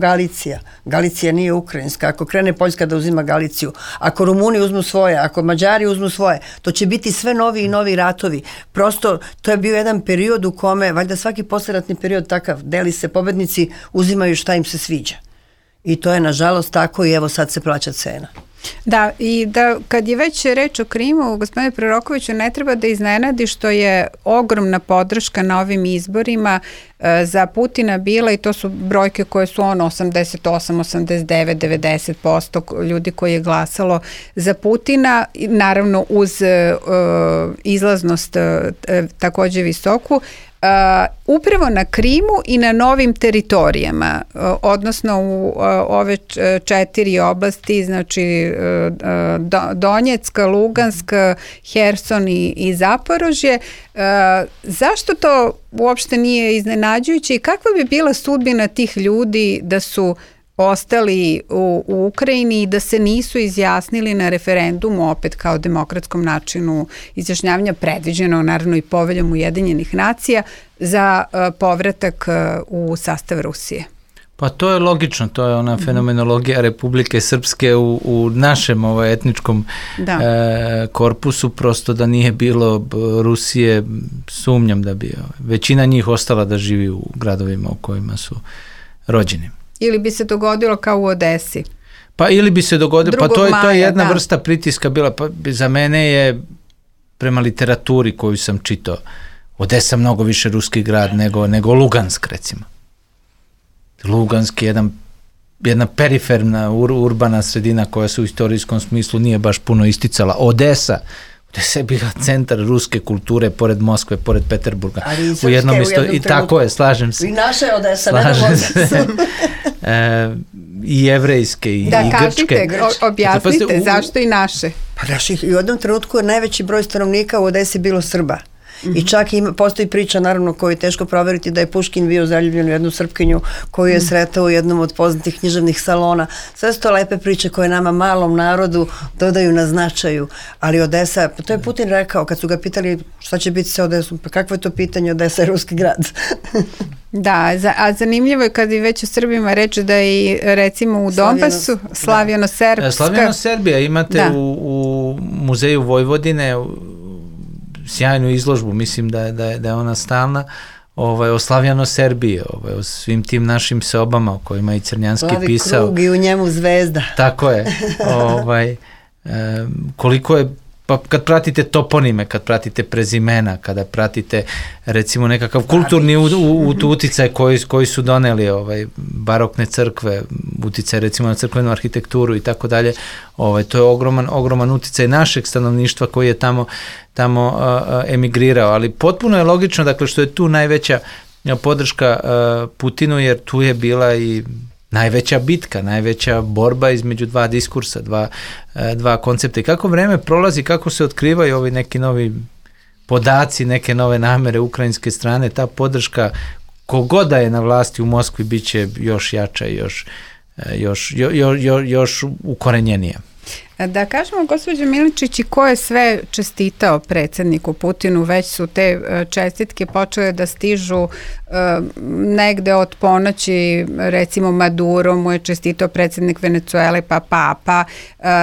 Galicija nije ukrajinska, ako krene Poljska da uzima Galiciju, ako Rumuni uzmu svoje, ako Mađari uzmu svoje, to će biti sve novi i novi ratovi. Prosto, to je bio jedan period u kome, valjda svaki posleratni period takav, deli se, pobednici uzimaju šta im se sviđa. I to je nažalost tako i evo sad se plaća cena. Da, i da kad je već reč o Krimu, gospodine Prorokoviću, ne treba da iznenadi što je ogromna podrška na ovim izborima za Putina bila, i to su brojke koje su 88, 89, 90% ljudi koji je glasalo za Putina, naravno uz izlaznost takođe visoku, upravo na Krimu i na novim teritorijama, odnosno u ove 4 oblasti, znači Donjecka, Luganska, Herson i Zaporožje. Zašto to uopšte nije iznenađujuće i kakva bi bila sudbina tih ljudi da su ostali u Ukrajini i da se nisu izjasnili na referendumu, opet kao demokratskom načinu izjašnjavanja, predviđeno naravno i poveljom Ujedinjenih nacija, za povratak u sastav Rusije? Pa to je logično, to je ona fenomenologija Republike Srpske u našem etničkom korpusu, prosto da nije bilo Rusije, sumnjam da bi većina njih ostala da živi u gradovima u kojima su rođeni. Ili bi se dogodilo kao u Odesi? Pa ili bi se dogodilo, pa to je jedna vrsta pritiska bila, pa za mene je prema literaturi koju sam čitao, Odesa mnogo više ruski grad nego Lugansk, recimo. Lugansk je jedna periferna urbana sredina koja se u istorijskom smislu nije baš puno isticala. Odesa je bila centar ruske kulture, pored Moskve, pored Peterburga. Ali i srpske u jednom trenutku. I tako je, slažem se. I naša je Odesa, ne da Odesa. I jevrejske, i grčke. Da, kažite, objasnite, zašto i naše? Pa naših, i u jednom trenutku je najveći broj stanovnika u Odesi bilo Srba. I čak postoji priča, naravno, koju je teško proveriti, da je Puškin bio zaljubljen u jednu Srpkinju koju je sretao u jednom od poznatih književnih salona. Sve su to lepe priče koje nama, malom narodu, dodaju na značaju. Ali Odesa, to je Putin rekao kad su ga pitali šta će biti sa Odesom, pa kakvo je to pitanje, Odesa je ruski grad. Da, a zanimljivo je kad je već o Srbima reč da i recimo u Donbasu, Slavjano-Serbska. Slavjano-Serbija imate u muzeju Vojvodine sjajnu izložbu, mislim da je ona stalna, o Slavjano-Serbiji, o svim tim našim sobama o kojima je Crnjanski pisao. Plavi krug i u njemu zvezda. Tako je. Koliko je, pa kad pratite toponime, kad pratite prezimena, kada pratite recimo nekakav kulturni uticaj koji su doneli barokne crkve, uticaj recimo na crkvenu arhitekturu i tako dalje, to je ogroman uticaj našeg stanovništva koji je tamo emigrirao, ali potpuno je logično, dakle, što je tu najveća podrška Putinu, jer tu je bila i najveća bitka, najveća borba između dva diskursa, dva koncepta. I kako vreme prolazi, kako se otkrivaju ovi neki novi podaci, neke nove namere ukrajinske strane, ta podrška kogoda je na vlasti u Moskvi bit će još jača i još ukorenjenija. Da kažemo, gospođo Miličić, i ko je sve čestitao predsjedniku Putinu, već su te čestitke počele da stižu negde od ponoći, recimo Maduro mu je čestitao predsjednik Venecuele, pa Papa,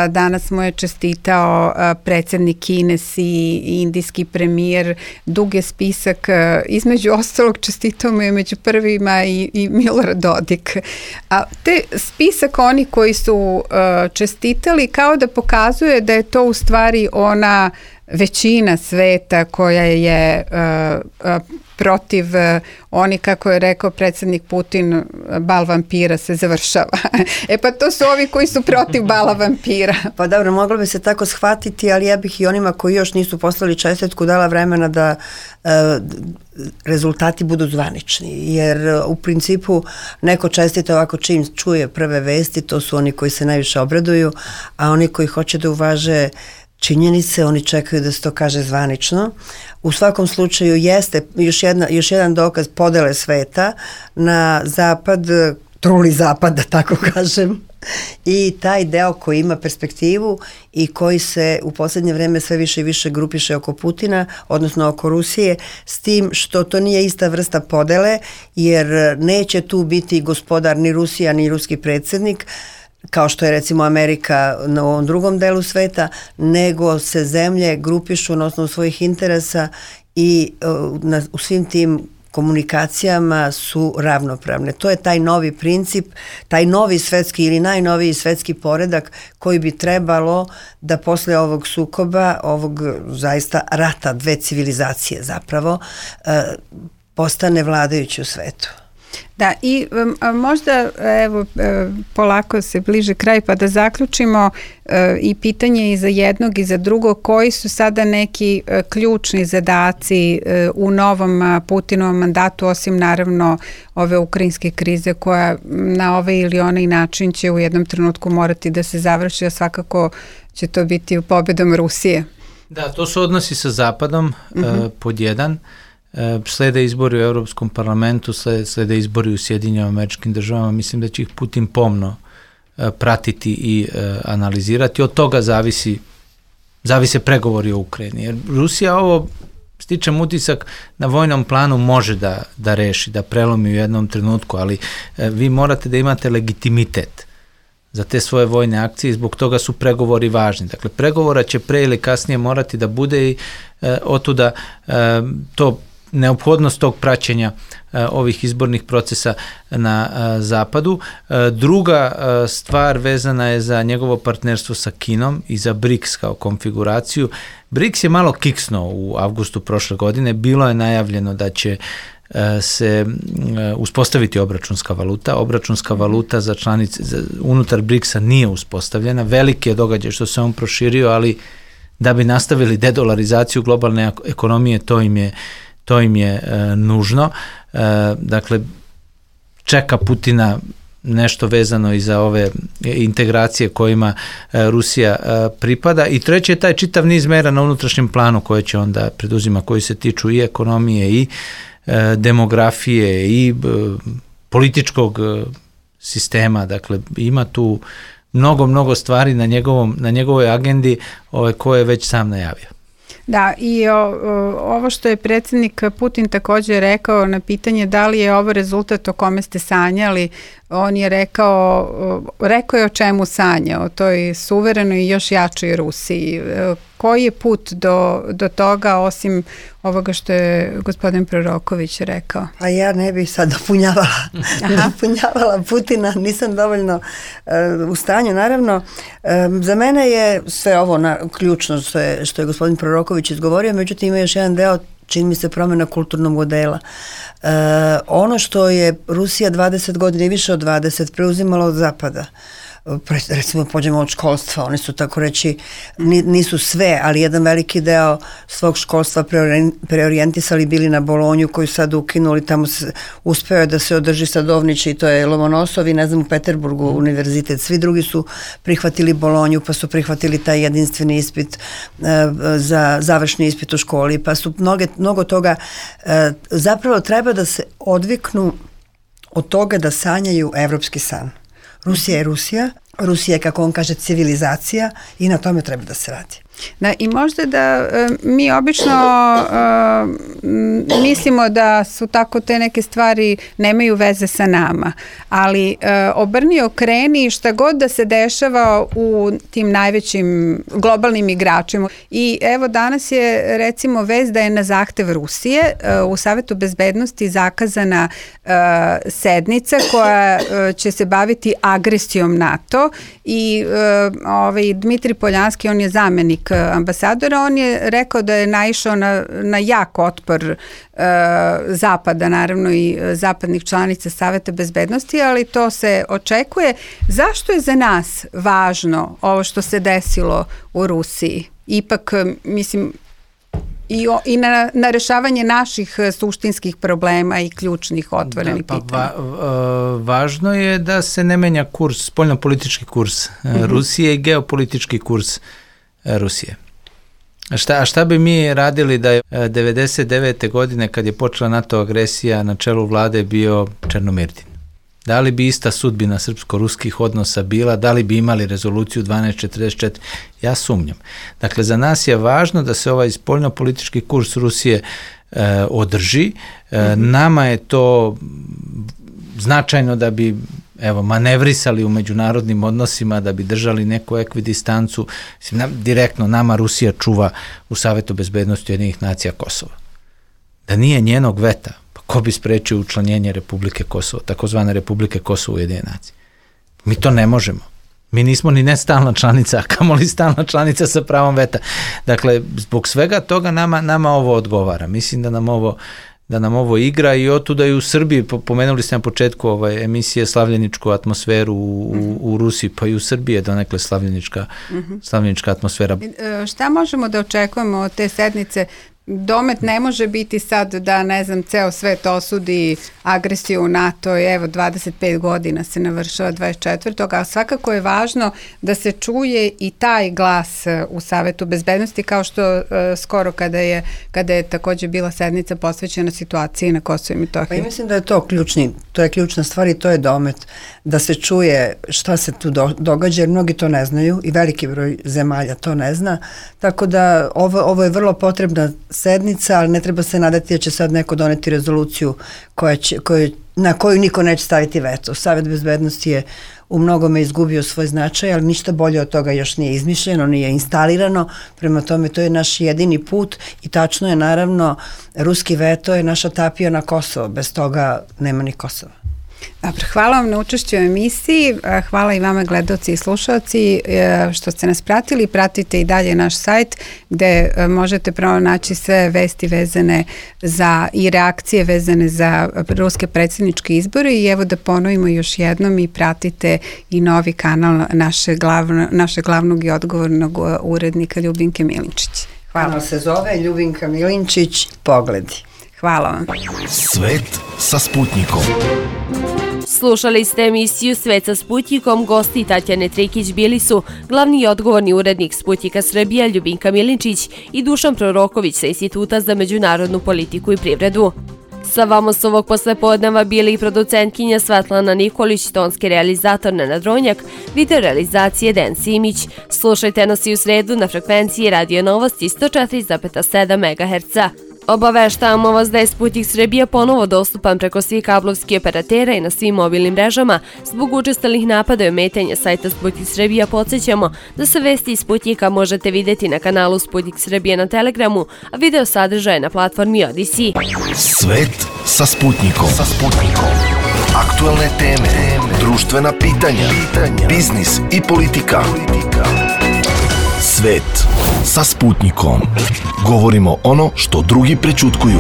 danas mu je čestitao predsjednik Kine i indijski premijer, dug je spisak, između ostalog čestitao mu je među prvima i Milorad Dodik. A te spisak oni koji su čestitali kao da pokazuje da je to u stvari ona većina sveta koja je protiv oni, kako je rekao predsjednik Putin, bal vampira se završava. Pa to su ovi koji su protiv bala vampira. Pa dobro, moglo bi se tako shvatiti, ali ja bih i onima koji još nisu poslali čestitku dala vremena da rezultati budu zvanični, jer u principu neko čestita ovako čim čuje prve vesti, to su oni koji se najviše obraduju, a oni koji hoće da uvaže činjenice, oni čekaju da se to kaže zvanično. U svakom slučaju jeste još jedan dokaz podele sveta na zapad, truli zapad, da tako kažem. I taj deo koji ima perspektivu i koji se u poslednje vreme sve više i više grupiše oko Putina, odnosno oko Rusije, s tim što to nije ista vrsta podele, jer neće tu biti gospodar ni Rusija ni ruski predsjednik, kao što je recimo Amerika na ovom drugom delu sveta, nego se zemlje grupišu na osnovu svojih interesa i u svim tim komunikacijama su ravnopravne. To je taj novi princip, taj novi svetski ili najnoviji svetski poredak koji bi trebalo da posle ovog sukoba, ovog zaista rata, dve civilizacije zapravo, postane vladajući u svetu. Da, i možda evo polako se bliže kraj, pa da zaključimo i pitanje i za jednog i za drugog, koji su sada neki ključni zadaci u novom Putinovom mandatu, osim naravno ove ukrajinske krize koja na ovaj ili onaj način će u jednom trenutku morati da se završi, a svakako će to biti pobedom Rusije. Da, to su odnosi sa Zapadom, pod jedan. Slede izbori u Europskom parlamentu, slede izbori u Sjedinjenim Američkim Državama, mislim da će ih Putin pomno pratiti i analizirati. Od toga zavise pregovori o Ukrajini. Jer Rusija ovo, stičem utisak, na vojnom planu može da reši, da prelomi u jednom trenutku, ali vi morate da imate legitimitet za te svoje vojne akcije i zbog toga su pregovori važni. Dakle, pregovora će pre ili kasnije morati da bude i otuda to neophodnost tog praćenja ovih izbornih procesa na Zapadu. Druga stvar vezana je za njegovo partnerstvo sa Kinom i za BRICS kao konfiguraciju. BRICS je malo kiksnuo u avgustu prošle godine. Bilo je najavljeno da će se uspostaviti obračunska valuta. Obračunska valuta za članice unutar BRICS-a nije uspostavljena. Veliki je događaj što se on proširio, ali da bi nastavili dedolarizaciju globalne ekonomije, to im je nužno. Dakle, čeka Putina nešto vezano i za ove integracije kojima Rusija pripada. I treće je taj čitav niz mera na unutrašnjem planu koje će onda preduzima, koji se tiču i ekonomije i demografije i političkog sistema. Dakle, ima tu mnogo stvari na njegovoj agendi koje je već sam najavio. Da, i ovo što je predsjednik Putin također rekao na pitanje da li je ovo rezultat o kome ste sanjali, on je rekao je o čemu sanja, o toj suverenoj i još jačoj Rusiji. Koji je put do toga, osim ovoga što je gospodin Proroković rekao? A ja ne bih sad dopunjavala Putina, nisam dovoljno u stanju. Naravno, za mene je sve ovo ključno što je gospodin Proroković izgovorio, međutim ima još jedan deo, čini mi se, promjena kulturnog modela. Ono što je Rusija 20 godina i više od 20 preuzimala od Zapada, recimo pođemo od školstva, oni su tako reći, nisu sve, ali jedan veliki deo svog školstva preorijentisali bili na Bolonju koju sad ukinuli, tamo uspeo je da se održi Sadovnić i to je Lomonosov i ne znam u Peterburgu univerzitet, svi drugi su prihvatili Bolonju pa su prihvatili taj jedinstveni ispit za završni ispit u školi, pa su mnogo toga, zapravo treba da se odviknu od toga da sanjaju evropski san. Rusija je Rusija, Rusija je, kako on kaže, civilizacija i na tome treba da se radi. Da, i možda da mi obično mislimo da su tako te neke stvari nemaju veze sa nama, ali obrni okreni šta god da se dešava u tim najvećim globalnim igračima. I evo danas je recimo vez da je na zahtev Rusije u Savetu bezbednosti zakazana sednica koja će se baviti agresijom NATO i Dmitri Poljanski, on je zamenik ambasadora, on je rekao da je naišao na jak otpor Zapada, naravno i zapadnih članica Saveta bezbednosti, ali to se očekuje. Zašto je za nas važno ovo što se desilo u Rusiji? Ipak, mislim, i na rešavanje naših suštinskih problema i ključnih otvorenih pitanja. Važno je da se ne menja kurs, spoljnopolitički kurs Rusije i geopolitički kurs Rusije. Šta bi mi radili da je 99. godine kad je počela NATO agresija na čelu vlade bio Černomirdin? Da li bi ista sudbina srpsko-ruskih odnosa bila, da li bi imali rezoluciju 1244, ja sumnjam. Dakle, za nas je važno da se ovaj spoljnopolitički kurs Rusije održi. Nama je to značajno da bi manevrisali u međunarodnim odnosima, da bi držali neku ekvidistancu. Direktno nama Rusija čuva u Savetu bezbednosti Ujedinjenih nacija Kosova. Da nije njenog veta, pa ko bi sprečio učlanjenje Republike Kosovo, takozvane Republike Kosovo u Ujedinjene nacije? Mi to ne možemo. Mi nismo ni ne stalna članica, a kamoli stalna članica sa pravom veta. Dakle, zbog svega toga nama ovo odgovara. Mislim da nam ovo igra i otuda i u Srbiji, pomenuli ste na početku emisije slavljeničku atmosferu u Rusiji, pa i u Srbiji je donekle slavljenička atmosfera. Šta možemo da očekujemo od te sednice? Domet ne može biti sad da, ne znam, ceo svet osudi agresiju u NATO i 25 godina se navršava 24. a svakako je važno da se čuje i taj glas u Savetu bezbednosti, kao što skoro kada je također bila sednica posvećena situaciji na Kosovu i Metohiji. Pa ja mislim da je to je ključna stvar i to je domet, da se čuje šta se tu događa, jer mnogi to ne znaju i veliki broj zemalja to ne zna, tako da ovo je vrlo potrebna sednica, ali ne treba se nadati da će sad neko doneti rezoluciju na koju niko neće staviti veto. Savet bezbednosti je u mnogome izgubio svoj značaj, ali ništa bolje od toga još nije izmišljeno, nije instalirano, prema tome to je naš jedini put i tačno je, naravno, ruski veto je naša tapija na Kosovo, bez toga nema ni Kosova. Dobro, hvala vam na učešću u emisiji, hvala i vama gledaoci i slušalci što ste nas pratili, pratite i dalje naš sajt gde možete pronaći sve vesti vezane i reakcije vezane za ruske predsjedničke izbore i evo da ponovimo još jednom i pratite i novi kanal našeg glavnog i odgovornog urednika Ljubinke Milinčić. Hvala. Kanal se zove Ljubinka Milinčić, Pogledi. Hvala vam. Svet sa Sputnikom. Slušali ste emisiju Svet sa Sputnikom, gosti Tatjane Trikić bili su glavni i odgovorni urednik Sputnika Srbija Ljubinka Milinčić i Dušan Proroković sa Instituta za međunarodnu politiku i privredu. Sa vama su ovog poslepodneva bili i producentkinja Svetlana Nikolić, tonski realizator Nenad Ronjak, video realizacije Den Simić. Slušajte nas i u sredu na frekvenciji Radio Novosti 104,7 MHz. Obaveštavamo vas da je Sputnik Srbija ponovo dostupan preko svih kablovskih operatera i na svim mobilnim mrežama. Zbog učestalih napada i ometanja sajta Sputnik Srbija podsjećamo da se vesti iz Sputnika možete vidjeti na kanalu Sputnik Srbija na Telegramu, a video sadržaje na platformi Odyssey. Svet sa Sputnikom. Aktualne teme, društvena pitanja, biznis i politika. Svet sa Sputnikom. Govorimo ono što drugi prećutkuju.